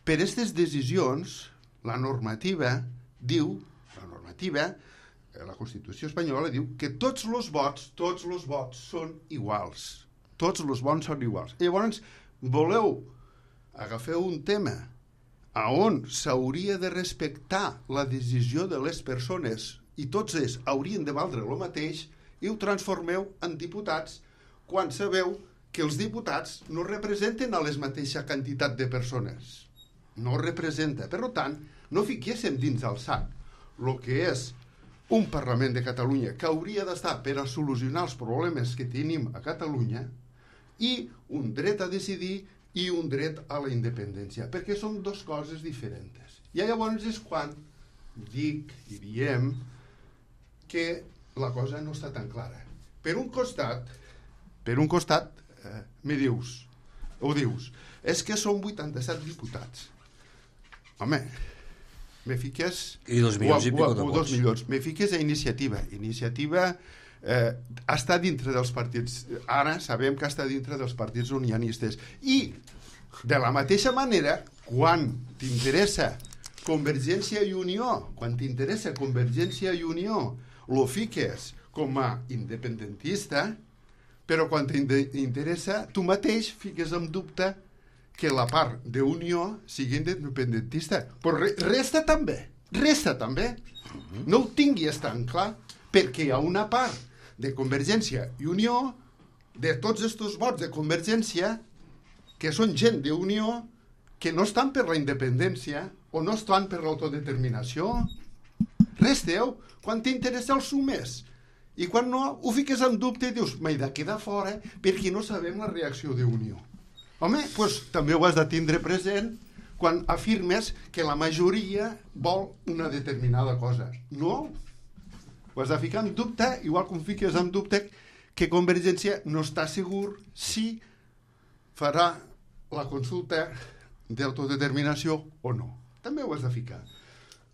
per aquestes decisions, la normativa, la Constitució espanyola diu que tots els vots són iguals. Tots els vots són iguals. Llavors, voleu agafar un tema on s'hauria de respectar la decisió de les persones i tots ells haurien de valdre el mateix i ho transformeu en diputats quan sabeu que els diputats no representen a la mateixa quantitat de persones. No representa. Per tant, no fiquéssim dins el sac el que és un Parlament de Catalunya que hauria d'estar per a solucionar els problemes que tenim a Catalunya i un dret a decidir i un dret a la independència, perquè són dues coses diferents. I llavors és quan dic i diem que la cosa no està tan clara. Per un costat, dius, és que són 87 diputats. Home, me fiques... I 2 milions i pico de vots. 2 milions. Me fiques a Iniciativa. Iniciativa està dintre dels partits. Ara sabem que està dintre dels partits unionistes. I, de la mateixa manera, quan t'interessa Convergència i Unió, lo fiques com a independentista, però quan t'interessa, tu mateix fiques en dubte que la part d'Unió sigui independentista. Però resta també. No ho tinguis tan clar, perquè hi ha una part de Convergència i Unió, de tots aquests vots de Convergència, que són gent d'Unió, que no estan per la independència o no estan per l'autodeterminació. Resteu, quan t'interessa el sumes. I quan no, ho fiques en dubte i dius, m'he de quedar fora perquè no sabem la reacció d'Unió. Home, doncs també ho has de tindre present quan afirmes que la majoria vol una determinada cosa. No, ho has de ficar en dubte, igual com fiques en dubte que Convergència no està segur si farà la consulta d'autodeterminació o no. També ho has de ficar.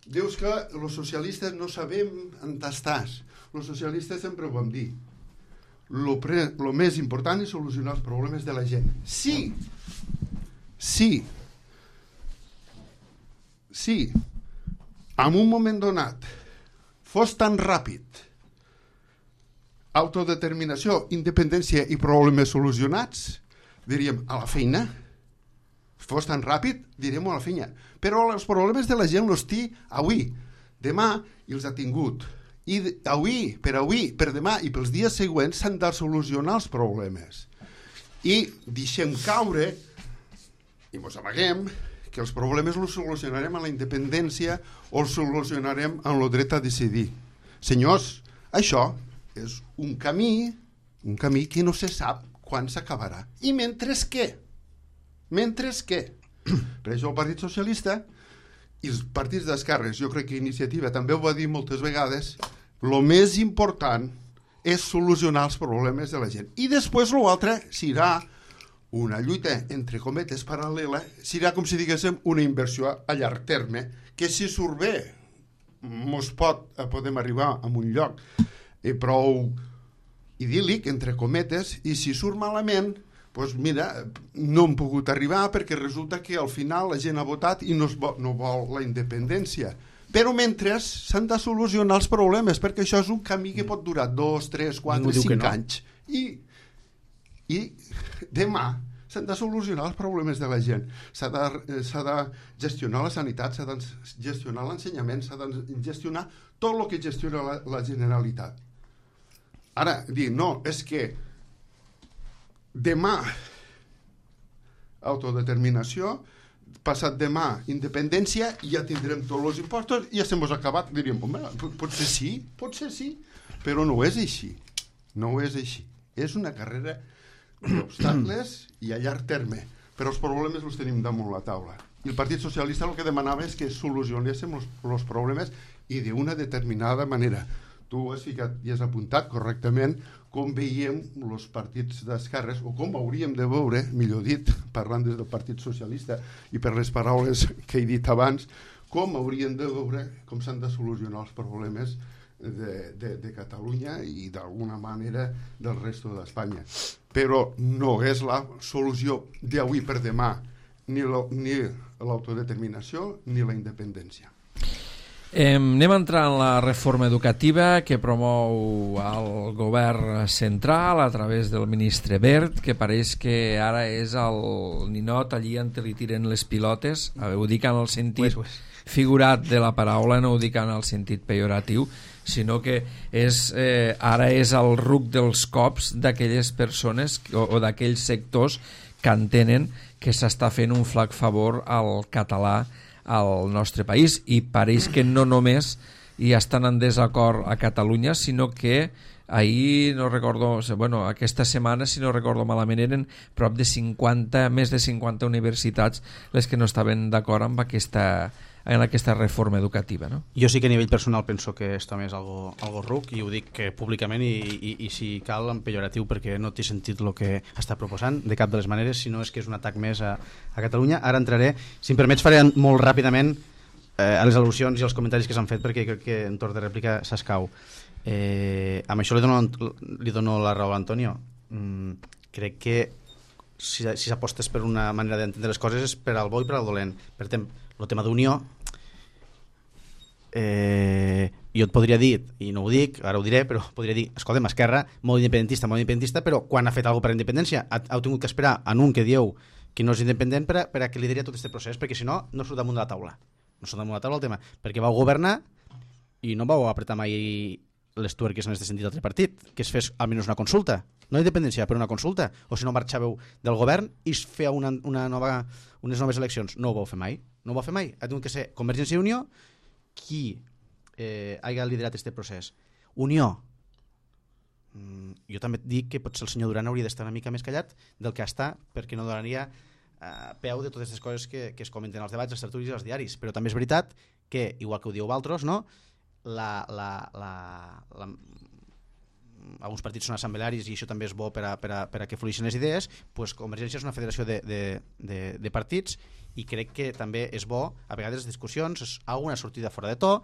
Dius que els socialistes no sabem on estàs. Els socialistes sempre ho vam dir. El més important és solucionar els problemes de la gent. Sí, en un moment donat fos tan ràpid autodeterminació, independència i problemes solucionats, diríem a la feina. Fos tan ràpid, diríem a la feina. Però els problemes de la gent els té avui, demà, i els ha tingut. I avui, per demà i pels dies següents s'han de solucionar els problemes. I deixem caure, i mos amaguem, que els problemes els solucionarem amb la independència o els solucionarem amb el dret a decidir. Senyors, això és un camí que no se sap quan s'acabarà. I mentre què? Per això el Partit Socialista i els partits d'esquerres, jo crec que Iniciativa també ho va dir moltes vegades, el més important és solucionar els problemes de la gent. I després l'altre serà una lluita, entre cometes, paral·lela, serà, com si diguéssim, una inversió a llarg terme, que si surt bé, podem arribar a un lloc prou idíl·lic, entre cometes, i si surt malament, doncs mira, no hem pogut arribar perquè resulta que al final la gent ha votat i no vol la independència. Però mentre s'han de solucionar els problemes, perquè això és un camí que pot durar 2, 3, 4, 5 anys. I demà s'han de solucionar els problemes de la gent. S'ha de gestionar la sanitat, s'ha de gestionar l'ensenyament, s'ha de gestionar tot el que gestiona la Generalitat. Ara, dir, no, és que demà autodeterminació, passat demà independència, i ja tindrem tots els impostos i ja s'hem acabat. Diríem, home, potser sí, però no és així. No és així. És una carrera d'obstacles i a llarg terme, però els problemes els tenim damunt la taula. I el Partit Socialista el que demanava és que solucionéssim els problemes i d'una determinada manera. Tu has ficat i has apuntat correctament com veiem els partits d'esquerres, o com hauríem de veure, millor dit, parlant des del Partit Socialista i per les paraules que he dit abans, com hauríem de veure com s'han de solucionar els problemes de Catalunya i d'alguna manera del resto d'Espanya. Però no és la solució d'avui per demà ni l'autodeterminació ni la independència. Anem a entrar en la reforma educativa que promou el govern central a través del ministre Wert, que pareix que ara és el ninot allí on li tiren les pilotes. Ho dic en el sentit figurat de la paraula, no ho dic en el sentit pejoratiu, sinó que ara és el ruc dels cops d'aquelles persones o d'aquells sectors que entenen que s'està fent un flac favor al català al nostre país, i pareix que no només hi estan en desacord a Catalunya, sinó que ahir, no recordo, aquesta setmana, si no recordo malament, eren prop de 50, més de 50 universitats les que no estaven d'acord amb aquesta reforma educativa, no? Jo sí que a nivell personal penso que esto és algo ruc, i ho dic públicament i si cal en pejoratiu, perquè no té sentit el que està proposant de cap de les maneres, sinó és que és un atac més a Catalunya. Ara entraré, si em permets faré molt ràpidament a les al·lusions i els comentaris que s'han fet, perquè crec que en torn de rèplica s'escau. Amb això li dono la raó a l'Antonio. Crec que si s'apostes per una manera d'entendre les coses és per al bo i per al dolent. Per exemple, el tema d'unió, jo et podria dir, i no ho dic, ara ho diré, però podria dir, escolta'm, Esquerra, molt independentista, però quan ha fet alguna cosa per independència heu tingut que esperar en un que dieu que no és independent per a que lideri tot aquest procés, perquè si no, no surt damunt de la taula. No surt damunt de la taula el tema, perquè vau governar i no vau apretar mai les tuerques en aquest sentit d'altre partit, que es fes almenys una consulta, no independència, però una consulta, o si no marxàveu del govern i es feia unes noves eleccions. No ho vau fer mai. Ha tingut que ser Convergència i Unió qui hagi liderat aquest procés. Unió. Jo també et dic que potser el senyor Duran hauria d'estar una mica més callat del que està, perquè no donaria peu de totes aquestes coses que es comenten als debats, als tertulis i als diaris. Però també és veritat que, igual que ho diu Valtros, no? Alguns partits són assemblearis i això també és bo per a que fluixin les idees. Pues Convergència és una federació de partits, i crec que també és bo a vegades les discussions, alguna sortida fora de to,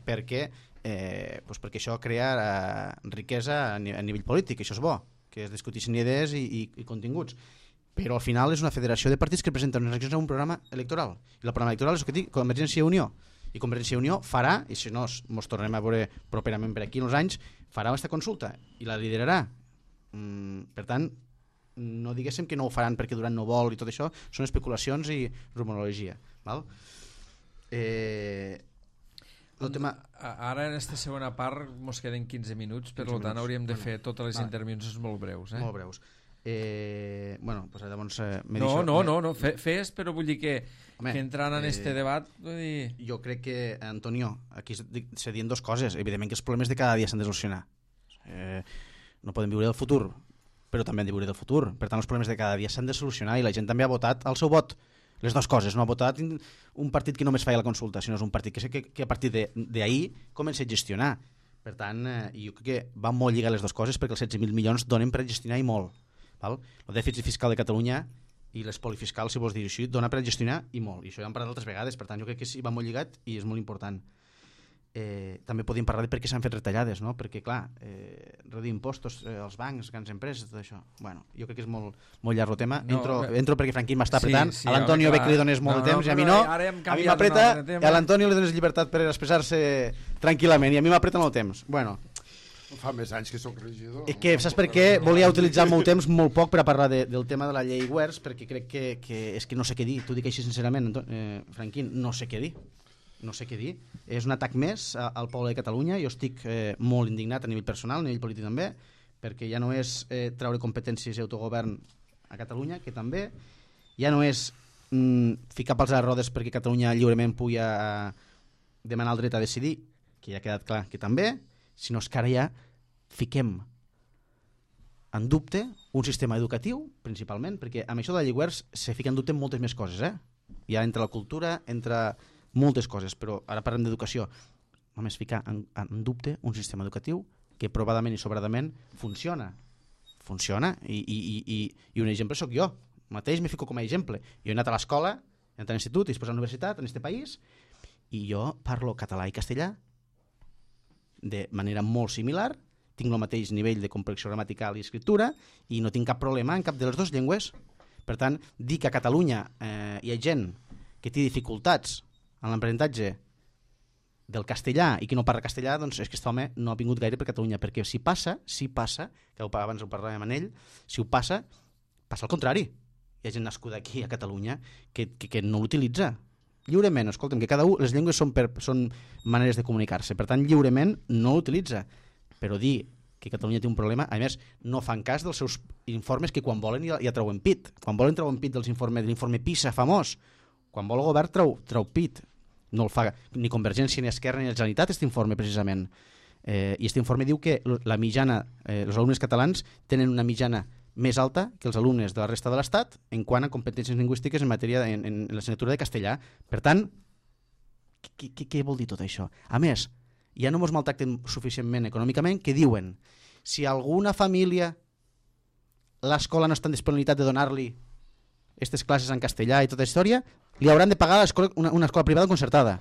perquè això crea riquesa a nivell polític. Això és bo, que es discuteixin idees i continguts, però al final és una federació de partits que presenten unes eleccions en un programa electoral, i el programa electoral és el que dic, Convergència i Unió, i Convergència i Unió farà, i si no ens tornarem a veure properament per aquí en uns anys, farà aquesta consulta i la liderarà. Per tant, no diguéssim que no ho faran perquè Duran no vol i tot això, són especulacions i rumorologia, val? Ara en aquesta segona part ens queden 15 minuts, per tant hauríem de fer totes les intervencions molt breus. Molt breus. Bueno, pues llavors... No, fes, però vull dir que entrant en este debat... Vull dir... Jo crec que, Antonio, aquí se diuen dues coses. Evidentment que els problemes de cada dia s'han de solucionar. No podem viure del futur, però també hem de viure del futur. Per tant, els problemes de cada dia s'han de solucionar i la gent també ha votat el seu vot. Les dues coses, no ha votat un partit que només feia la consulta, sinó és un partit que a partir d'ahir comença a gestionar. Per tant, jo crec que van molt lligar les dues coses perquè els 16.000 milions donen per gestionar i molt. Val? El dèficit fiscal de Catalunya i l'espoli fiscal, si vols dir així, dona per gestionar i molt. I això ja hem parlat altres vegades, per tant jo crec que sí, va molt lligat i és molt important. També podíem parlar de per què s'han fet retallades, no? Perquè clar, reduir impostos als bancs, grans empreses, tot això. Bueno, jo crec que és molt llarg el tema. Entro perquè Franquín m'està apretant, a l'Antonio ve que li dones molt de temps i a mi no. A mi m'apreta, a l'Antonio li dones llibertat per expressar-se tranquil·lament i a mi m'apreta molt temps. Bueno, fa més anys que soc regidor. Que saps per què? Volia utilitzar el meu temps molt poc per a parlar del tema de la llei WERS, perquè crec que és que no sé què dir. T'ho dic així sincerament, Franquín, no sé què dir. No sé què dir. És un atac més al poble de Catalunya. Jo estic molt indignat a nivell personal, a nivell polític també, perquè ja no és treure competències i autogovern a Catalunya, que també ja no és ficar pals a les rodes perquè Catalunya lliurement pugui demanar el dret a decidir, que ja ha quedat clar que també, sinó que ara ja fiquem en dubte un sistema educatiu, principalment, perquè amb això de la llei WERS se fica en dubte moltes més coses, ja entre la cultura, entre moltes coses, però ara parlem d'educació. Només ficar en dubte un sistema educatiu que provadament i sobradament funciona i un exemple sóc jo mateix, me fico com a exemple. Jo he anat a l'escola, he anat a l'institut i després a la universitat en aquest país i jo parlo català i castellà de manera molt similar, tinc el mateix nivell de complexió gramatical i escriptura i no tinc cap problema en cap de les dues llengües. Per tant, dir que a Catalunya hi ha gent que té dificultats en l'aprenentatge del castellà i qui no parla castellà, doncs és que aquest home no ha vingut gaire per Catalunya, perquè si passa, que abans ho parlàvem amb ell, si ho passa al contrari. Hi ha gent nascuda aquí a Catalunya que no l'utilitza lliurement. Escolta'm, que cada un, les llengües són maneres de comunicar-se, per tant lliurement no l'utilitza, però dir que Catalunya té un problema, a més no fan cas dels seus informes que quan volen ja treuen pit, quan volen treuen pit de l'informe PISA famós, quan vol el govern treu pit, no el fa ni Convergència ni Esquerra ni la Generalitat aquest informe precisament, i aquest informe diu que la mitjana, els alumnes catalans tenen una mitjana més alta que els alumnes de la resta de l'Estat en quant a competències lingüístiques en matèria en l'assignatura de castellà. Per tant, què vol dir tot això? A més, ja no ens maltracten suficientment econòmicament que diuen si alguna família l'escola no està en disponibilitat de donar-li aquestes classes en castellà i tota la història, li hauran de pagar una escola privada concertada.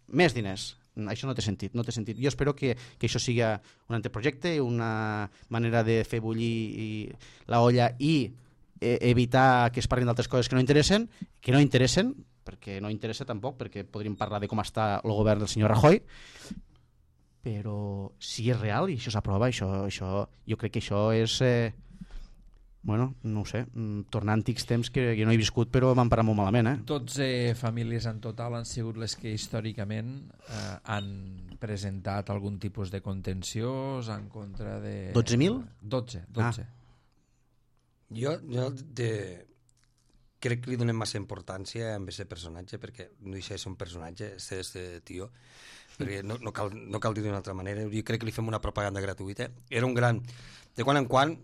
Més diners. Això no té sentit. Jo espero que això sigui un anteprojecte, una manera de fer bullir la olla i evitar que es parlin d'altres coses que no interessen, perquè no interessa tampoc, perquè podríem parlar de com està el govern del senyor Rajoy, però si és real i això s'aprova, jo crec que això és... Bueno, no ho sé, tornar a antics temps que jo no he viscut però m'han parat molt malament. 12 famílies en total han sigut les que històricament han presentat algun tipus de contenciós en contra de... 12.000? 12. Jo crec que li donem massa importància a aquest personatge, perquè no deixa de ser un personatge, este tio, perquè no cal dir d'una altra manera. Jo crec que li fem una propaganda gratuïta. Era un gran... De quan en quan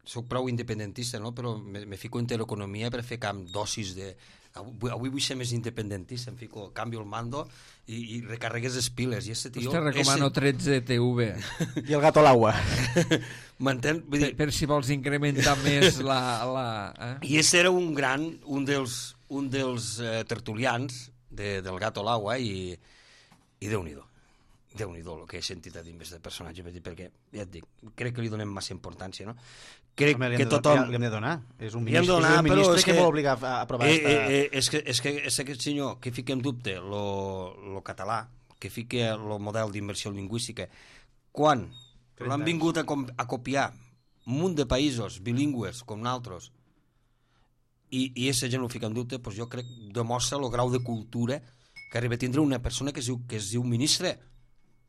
soc prou independentista, no? Però me fico en l'economia per fer camp dosis de... Avui vull ser més independentista, em fico, canvio el mando i recarregues les piles. I este tio... Te recomano 13 TV. I el gato a l'aigua. M'entén? Per si vols incrementar més la... I este era un dels tertulians del gato a l'aigua i Déu-n'hi-do. Déu-n'hi-do el que he sentit a dir amb aquest personatge, perquè ja et dic, crec que li donem massa importància, no? Crec que tothom... Li hem de donar. És un ministre que vol obligar a aprovar és que aquest senyor que fica en dubte el català, que fica el model d'immersió lingüística, quan l'han vingut a copiar un munt de països bilingües com nosaltres i aquesta gent ho fica en dubte, doncs jo crec que demostra el grau de cultura que arriba a tindre una persona que es diu ministre.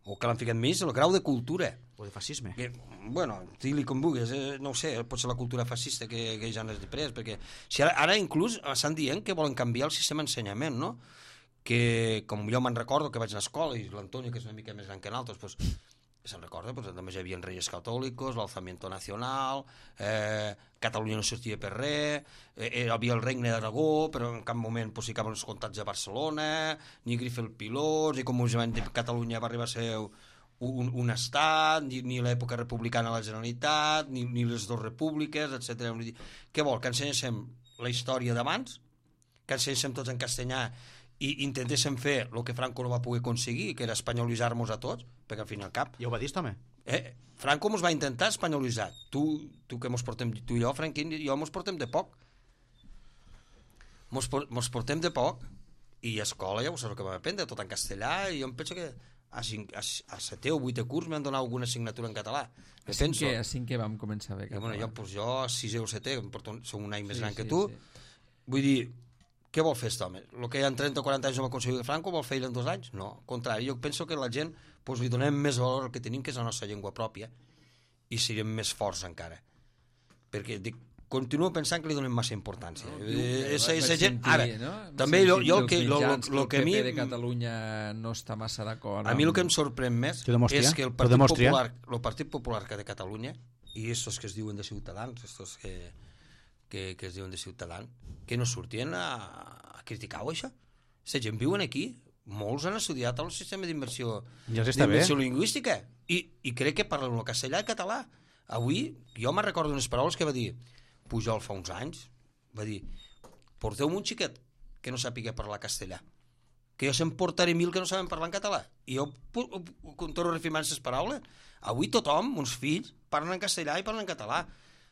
o que l'han ficat més, el grau de cultura. O de fascisme. Que, bueno, digue-li com vulguis, no ho sé, pot ser la cultura fascista que ja n'és després, perquè si ara inclús estan dient que volen canviar el sistema d'ensenyament, no? Que, com jo me'n recordo que vaig a l'escola, i l'Antonio, que és una mica més gran que nosaltres, pues, se'n recorda, pues, només hi havia Reyes Catòlicos, l'Alzamiento Nacional, Catalunya no sortia per res, hi havia el Regne d'Aragó, però en cap moment pues, ficaven els comtats de Barcelona, ni Grif el Pilós, i com us van dir, Catalunya va arribar a ser un estat, ni l'època republicana a la Generalitat, ni les dues repúbliques, etc. Què vol? Que ensenyéssim la història d'abans, que ensenyéssim tots en castellà i intentéssim fer el que Franco no va poder aconseguir, que era espanyolitzar-nos a tots, perquè al fin i al cap... Ja ho va dir, també. Franco mos va intentar espanyolitzar. Tu que mos portem, tu i jo, Franquín, i jo mos portem de poc. Mos portem de poc, i a escola ja ho saps el que vam aprendre, tot en castellà, i jo em penso que a 7è o 8è curs m'han donat alguna assignatura en català. A 5è vam començar bé català. Jo a 6è o 7è, som un any més gran que tu, vull dir, què vol fer aquest home? El que en 30 o 40 anys no va aconseguir Franco vol fer en 2 anys? No, al contrari, jo penso que la gent pues, li donem més valor al que tenim, que és la nostra llengua pròpia, i serem més forts encara, perquè continuo pensant que li donem massa importància. També el que a mi de Catalunya no està massa d'acord. A mi el que em sorprèn més és que el Partit Popular de Catalunya, i estos que es diuen de Ciutadans, estos que es diuen de Ciutadans, que no sortien a criticar-ho, això. Aquesta gent viuen aquí, molts han estudiat el sistema d'immersió lingüística, i crec que parlen el castellà i català. Avui, jo me'n recordo unes paraules que va dir Pujol fa uns anys, va dir, porteu-me un xiquet que no sàpiga parlar castellà, que jo se'n portaré 1000 que no saben parlar en català, i jo torno a reafirmar aquestes paraules. Avui tothom, uns fills, parlen en castellà i parlen en català,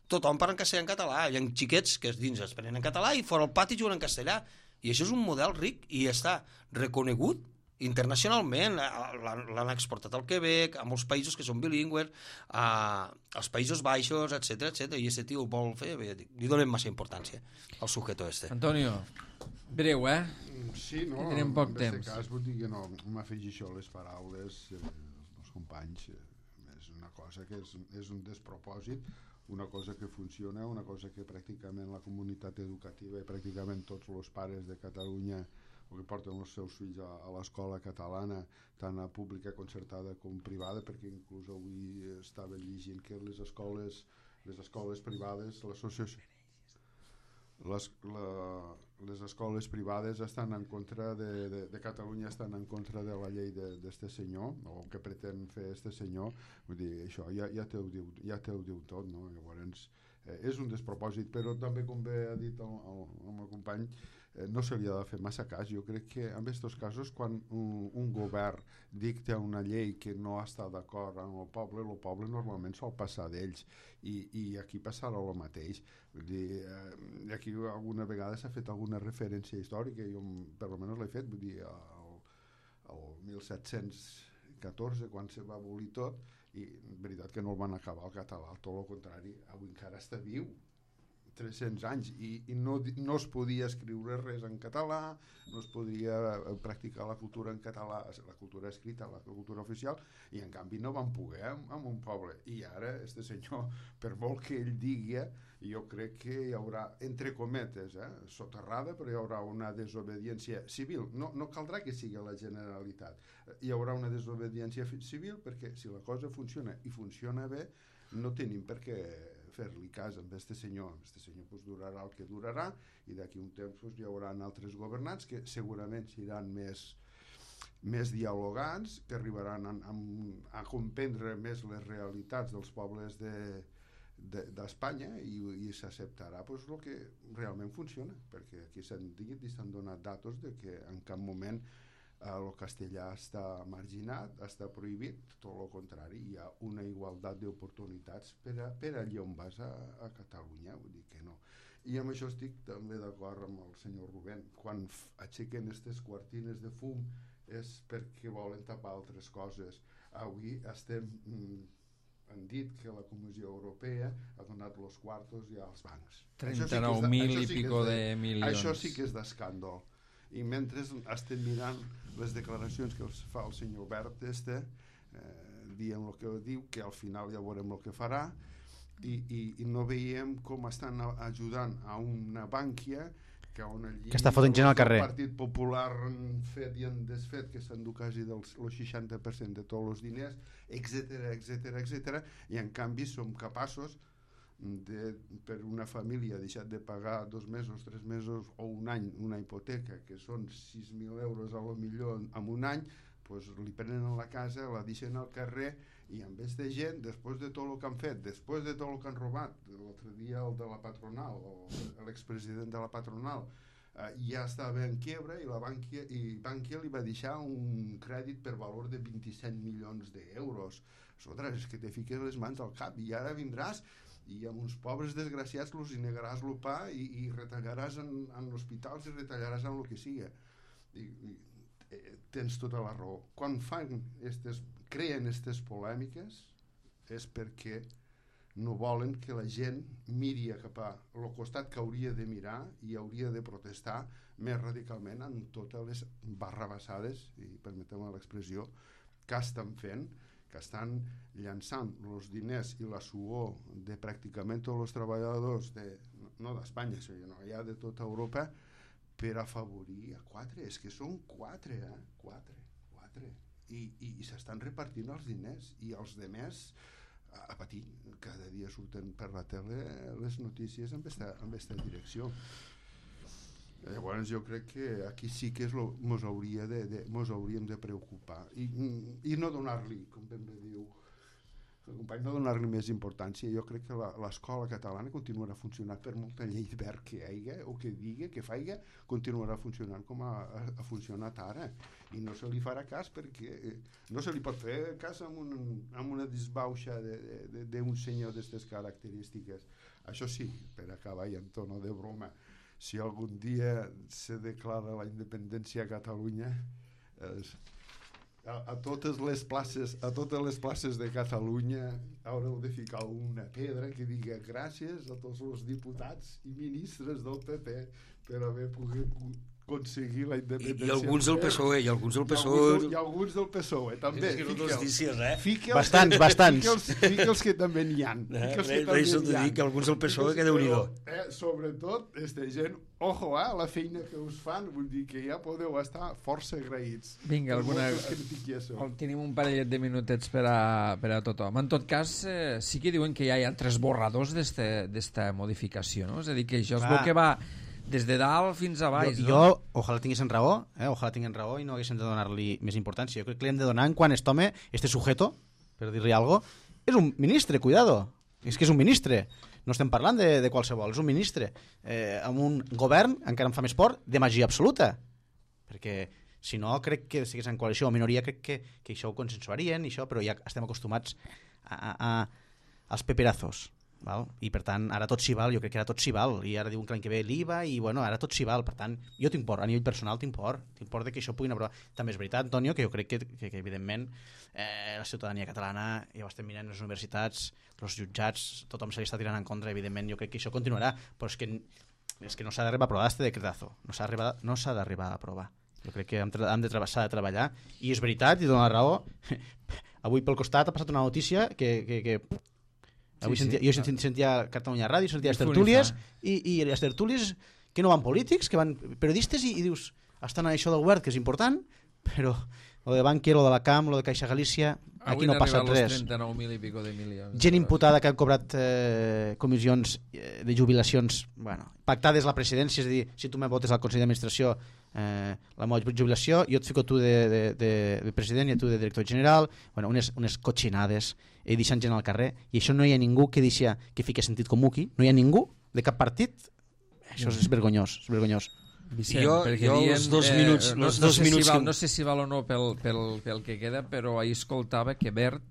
tothom parla en castellà en català, hi ha xiquets que dins es prenen en català i fora al pati juguen en castellà, i això és un model ric i està reconegut internacionalment. L'han exportat al Quebec, a molts països que són bilingües, als Països Baixos, etc. I aquest tio ho vol fer, li donem massa importància al sujeto este. Antonio, breu, Sí, no, tenim poc temps. En aquest cas vull dir que no m'afegeixo les paraules dels companys. És una cosa que és un despropòsit, una cosa que funciona, una cosa que pràcticament la comunitat educativa i pràcticament tots els pares de Catalunya o que porten els seus fills a l'escola catalana, tant a pública, concertada com privada, perquè inclús avui estava llegint que les escoles privades, l'associació, les escoles privades estan en contra de Catalunya, estan en contra de la llei d'este senyor, o que pretén fer este senyor. Vull dir, això ja te ho diu tot, no? Llavors, és un despropòsit, però també, com bé ha dit el meu company, no se li ha de fer massa cas. Jo crec que en aquests casos, quan un govern dicta una llei que no està d'acord amb el poble normalment sol passar d'ells, i aquí passarà el mateix. Vull dir, aquí alguna vegada s'ha fet alguna referència històrica, jo per almenys l'he fet, vull dir, el 1714, quan se va abolir tot, i en veritat que no el van acabar el català, tot el contrari, avui encara està viu, 300 anys, i no es podia escriure res en català, no es podia practicar la cultura en català, la cultura escrita, la cultura oficial, i en canvi no van poder amb un poble. I ara, este senyor, per molt que ell digui, jo crec que hi haurà, entre cometes, soterrada, però hi haurà una desobediència civil. No caldrà que sigui la Generalitat. Hi haurà una desobediència civil perquè si la cosa funciona i funciona bé, no tenim per què fer-li cas amb este senyor. Este senyor pues, durarà el que durarà, i d'aquí un temps pues, hi haurà altres governants que segurament seran més dialogants, que arribaran a comprendre més les realitats dels pobles d'Espanya, i s'acceptarà pues, el que realment funciona, perquè aquí s'han dit i s'han donat datos de que en cap moment el castellà està marginat, està prohibit, tot el contrari, hi ha una igualtat d'oportunitats per allà on vas a Catalunya, vull dir que no. I amb això estic també d'acord amb el senyor Rubén, quan aixequen aquestes quartines de fum és perquè volen tapar altres coses. Avui han dit que la Comissió Europea ha donat els quartos ja als bancs. 39.000 i pico de milions. Això sí que és d'escàndol. I mentre estem mirant les declaracions que els fa el senyor Bert dient el que diu, que al final ja veurem el que farà, i no veiem com estan ajudant a una Bànquia que està fotent gent al carrer. El Partit Popular han fet i han desfet, que s'endú quasi del 60% de tots els diners, etc. I en canvi som capaços per una família deixat de pagar 2 mesos, 3 mesos o un any una hipoteca, que són 6.000 euros a lo millor en un any, pues li prenen la casa, la deixen al carrer, i en vez de gent, després de tot el que han fet, després de tot el que han robat, l'altre dia el de la patronal, l'expresident de la patronal, ja estava en quiebra, i Bànquia li va deixar un crèdit per valor de 27 milions d'euros. Ostres, és que te fiques les mans al cap, i ara vindràs i amb uns pobres desgraciats els negaràs el pa i retallaràs en hospitals i retallaràs en el que siga. Tens tota la raó. Quan creen aquestes polèmiques és perquè no volen que la gent miri cap a el costat que hauria de mirar i hauria de protestar més radicalment en totes les barrabassades, i permeteu-me l'expressió, que estan fent, que estan llançant els diners i la suor de pràcticament tots els treballadors no d'Espanya, sinó ja de tota Europa, per afavorir a 4, és que són 4, 4, i s'estan repartint els diners, i els demés a patir. Cada dia surten per la tele les notícies amb aquesta direcció. Llavors jo crec que aquí sí que mos hauríem de preocupar i no donar-li, com ben bé diu el company, no donar-li més importància. Jo crec que l'escola catalana continuarà funcionant, per molta llei verd que hi hagi o que digui, que faiga, continuarà funcionant com ha funcionat ara, i no se li farà cas, perquè no se li pot fer cas amb una disbauxa d'un senyor d'aquestes característiques. Això sí, per acabar i en tono de broma, si algun dia se declara la independència a Catalunya, a totes les places de Catalunya haureu de ficar una pedra que digui gràcies a tots els diputats i ministres del PP per haver pogut aconseguir la independència. I alguns del PSOE, i alguns del PSOE també. És que no notícies, Bastants. Fique'ls que també n'hi ha. Deixa'l de dir que alguns del PSOE, que Déu-n'hi-do. Sobretot, aquesta gent, ojo, la feina que us fan, vull dir que ja podeu estar força agraïts. Vinga, tenim un parellet de minutets per a tothom. En tot cas, sí que diuen que ja hi ha 3 borradors d'esta modificació, no? És a dir, que això és el que va des de dalt fins a baix. Jo ojalà tinguessin raó, i no haguéssim de donar-li més importància. Jo crec que li hem de donar quan este sujeto, per dir-li alguna cosa, és un ministre, cuidado. És que és un ministre. No estem parlant de qualsevol, és un ministre. Amb un govern, encara em fa més por, de magia absoluta. Perquè si no, crec que si hagués en coalició o minoria, crec que això ho consensuarien, però ja estem acostumats als peperazos. Val? I per tant, ara tot s'hi val, jo crec que ara tot s'hi val, i ara diuen que l'any que ve l'IVA, i bueno, ara tot s'hi val, per tant, jo tinc por, a nivell personal tinc por de que això puguin aprovar. També és veritat, Antonio, que jo crec que evidentment la ciutadania catalana, ja ho estem mirant les universitats, els jutjats, tothom se li està tirant en contra, evidentment jo crec que això continuarà, però és que no s'ha d'arribar a aprovar este decretazo, no s'ha d'arribar a aprovar. Jo crec que s'ha de treballar, i és veritat, i dona raó, avui pel costat ha passat una notícia que avui jo sentia Catalunya Ràdio, sentia les tertúlies, i les tertúlies que no van polítics, que van periodistes, i dius, estan a això del govern, que és important, però lo de Bankia, lo de la CAM, lo de Caixa Galícia, aquí no passa res. 39.000 i pico de milions. Gent imputada que ha cobrat comissions de jubilacions, bueno, pactades la presidència, és a dir, si tu me votes al Consell d'Administració la meva jubilació, jo et fico tu de president i tu de director general, bueno, unes cotxinades, i deixant gent al carrer, i això no hi ha ningú que fiqui sentit comú aquí, no hi ha ningú de cap partit, això és vergonyós, és vergonyós. Vicent, jo els 2 minuts, no sé si val o no pel que queda, però ahir escoltava que Bert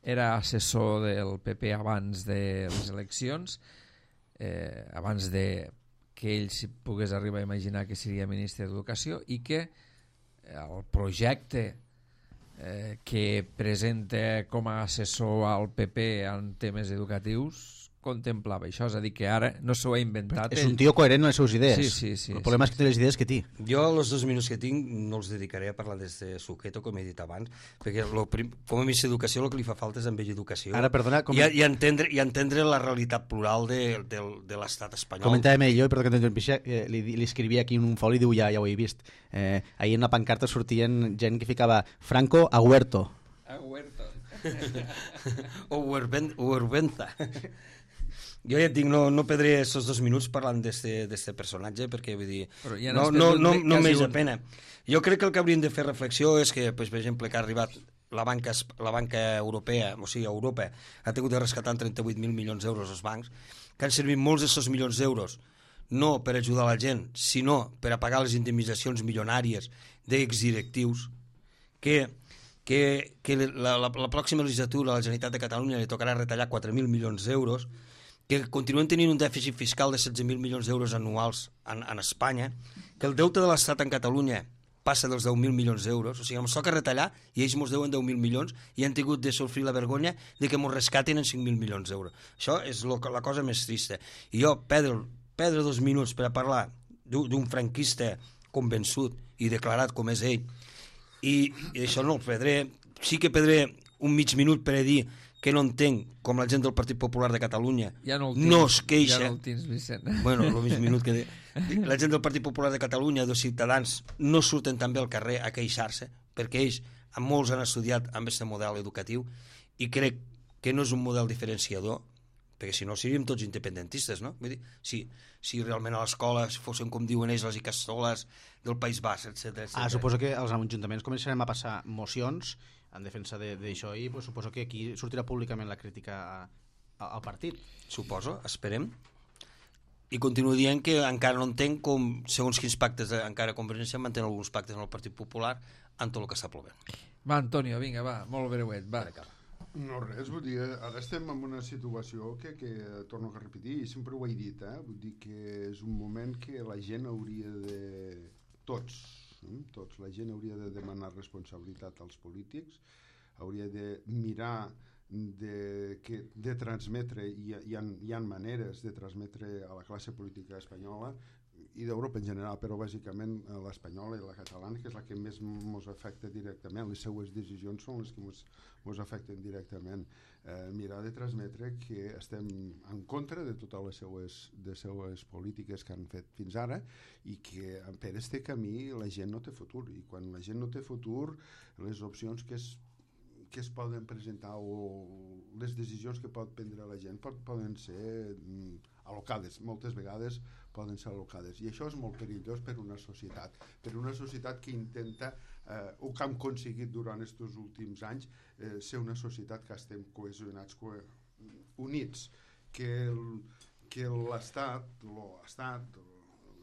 era assessor del PP abans de les eleccions, abans de que ell si pogués arribar a imaginar que seria ministre d'Educació, i que el projecte que presenta com a assessor al PP en temes educatius contemplava això, és a dir, que ara no s'ho ha inventat. És un tio coherent en les seves idees. Sí. El problema és que té les idees que té. Jo, els 2 minuts que tinc, no els dedicaré a parlar des de Suqueto, com he dit abans, perquè com a ministre d'Educació el que li fa falta és amb ell educació. Ara, perdona... I entendre la realitat plural de l'estat espanyol. Comentàvem jo, perdó que t'interrompixi, li escrivia aquí en un foli i diu, ja ho he vist. Ahir en la pancarta sortien gent que ficava Franco a Huerto. A Huerto. O Huervenza. Jo ja et dic, no perdré aquests 2 minuts parlant d'este personatge, perquè vull dir, ja no m'és a pena. Jo crec que el que hauríem de fer reflexió és que, per exemple, que ha arribat la banca europea, o sigui, Europa, ha tingut de rescatar 38.000 milions d'euros als bancs, que han servit molts d'aquests milions d'euros no per ajudar la gent, sinó per a pagar les indemnitzacions milionàries d'exdirectius, que la pròxima legislatura a la Generalitat de Catalunya li tocarà retallar 4.000 milions d'euros, que continuen tenint un dèficit fiscal de 16.000 milions d'euros anuals en Espanya, que el deute de l'Estat en Catalunya passa dels 10.000 milions d'euros, o sigui, ens toca retallar i ells ens deuen 10.000 milions i han tingut de sofrir la vergonya de que ens rescatin en 5.000 milions d'euros. Això és la cosa més trista. I jo perdre 2 minuts per a parlar d'un franquista convençut i declarat com és ell, i això no el perdré. Sí que perdré un mig minut per a dir que no entenc com la gent del Partit Popular de Catalunya no es queixa. Ja no el tens, Vicent. Bueno, el mig minut que la gent del Partit Popular de Catalunya, dels ciutadans, no surten també al carrer a queixar-se, perquè ells, molts han estudiat amb aquest model educatiu i crec que no és un model diferenciador, perquè si no seríem tots independentistes, no? Vull dir, si realment a l'escola fossin, com diuen ells, les icastoles del País Basc, etc. Suposo que als ajuntaments començarem a passar mocions en defensa d'això i pues, suposo que aquí sortirà públicament la crítica al partit. Suposo, esperem. I continuo dient que encara no entenc com, segons quins pactes encara Convergència manté alguns pactes amb el Partit Popular en tot el que està plovent. Va, Antonio, vinga, va, molt breuet, va. No, res, vull dir, ara estem en una situació que torno a repetir, i sempre ho he dit, vull dir que és un moment que la gent hauria de... Tots, la gent hauria de demanar responsabilitat als polítics, hauria de mirar de transmetre, hi ha maneres de transmetre a la classe política espanyola i d'Europa en general, però bàsicament l'espanyola i la catalana, que és la que més ens afecta directament, les seues decisions són les que ens afecten directament. Mirar de transmetre que estem en contra de totes les seues polítiques que han fet fins ara i que per este camí la gent no té futur, i quan la gent no té futur, les opcions que es poden presentar o les decisions que pot prendre la gent poden ser al·locades, moltes vegades poden ser al·locades, i això és molt perillós per una societat que intenta, o que hem aconseguit durant aquests últims anys, ser una societat que estem cohesionats, units, que l'Estat, la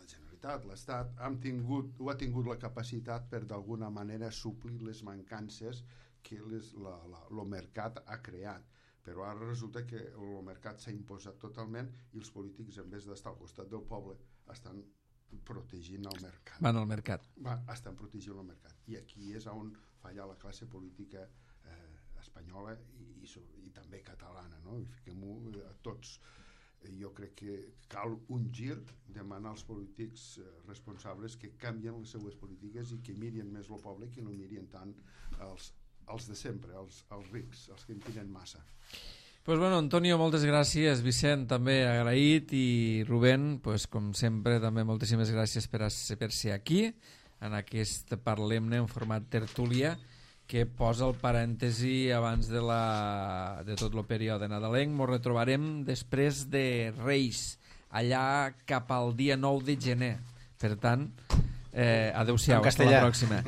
Generalitat, l'Estat, ha tingut la capacitat per d'alguna manera suplir les mancances que el mercat ha creat, però ara resulta que el mercat s'ha imposat totalment i els polítics, en vez d'estar al costat del poble, estan protegint el mercat. Van al mercat. Estan protegint el mercat. I aquí és on falla la classe política espanyola i també catalana, no? I fiquem-ho a tots. Jo crec que cal un gir, demanar als polítics responsables que canvien les seues polítiques i que mirin més el poble, que no mirin tant els de sempre, els rics, els que en tenen massa. Pues bueno, Antonio, moltes gràcies, Vicent també agraït, i Rubén, pues, com sempre també moltíssimes gràcies per ser aquí en aquest Parlem-ne en format tertúlia que posa el parèntesi abans de tot el període nadalenc. Ens retrobarem després de Reis, allà cap al dia 9 de gener. Per tant, adeu-siau, fins la pròxima.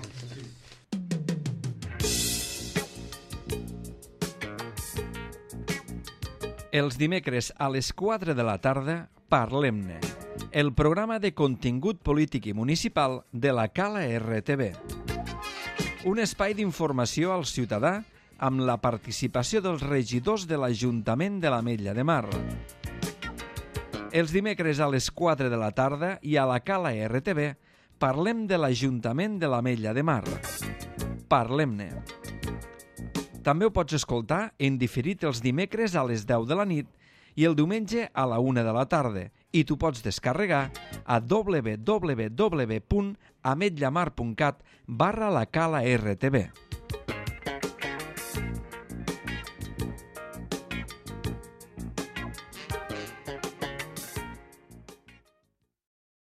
Els dimecres a les 4 de la tarda, Parlem-ne, el programa de contingut polític i municipal de la Cala RTV. Un espai d'informació al ciutadà amb la participació dels regidors de l'Ajuntament de l'Ametlla de Mar. Els dimecres a les 4 de la tarda i a la Cala RTV parlem de l'Ajuntament de l'Ametlla de Mar. Parlem-ne. També ho pots escoltar en diferit els dimecres a les 10 de la nit i el diumenge a la 1 de la tarda. I tu pots descarregar a www.ametllamar.cat/la cala RTV.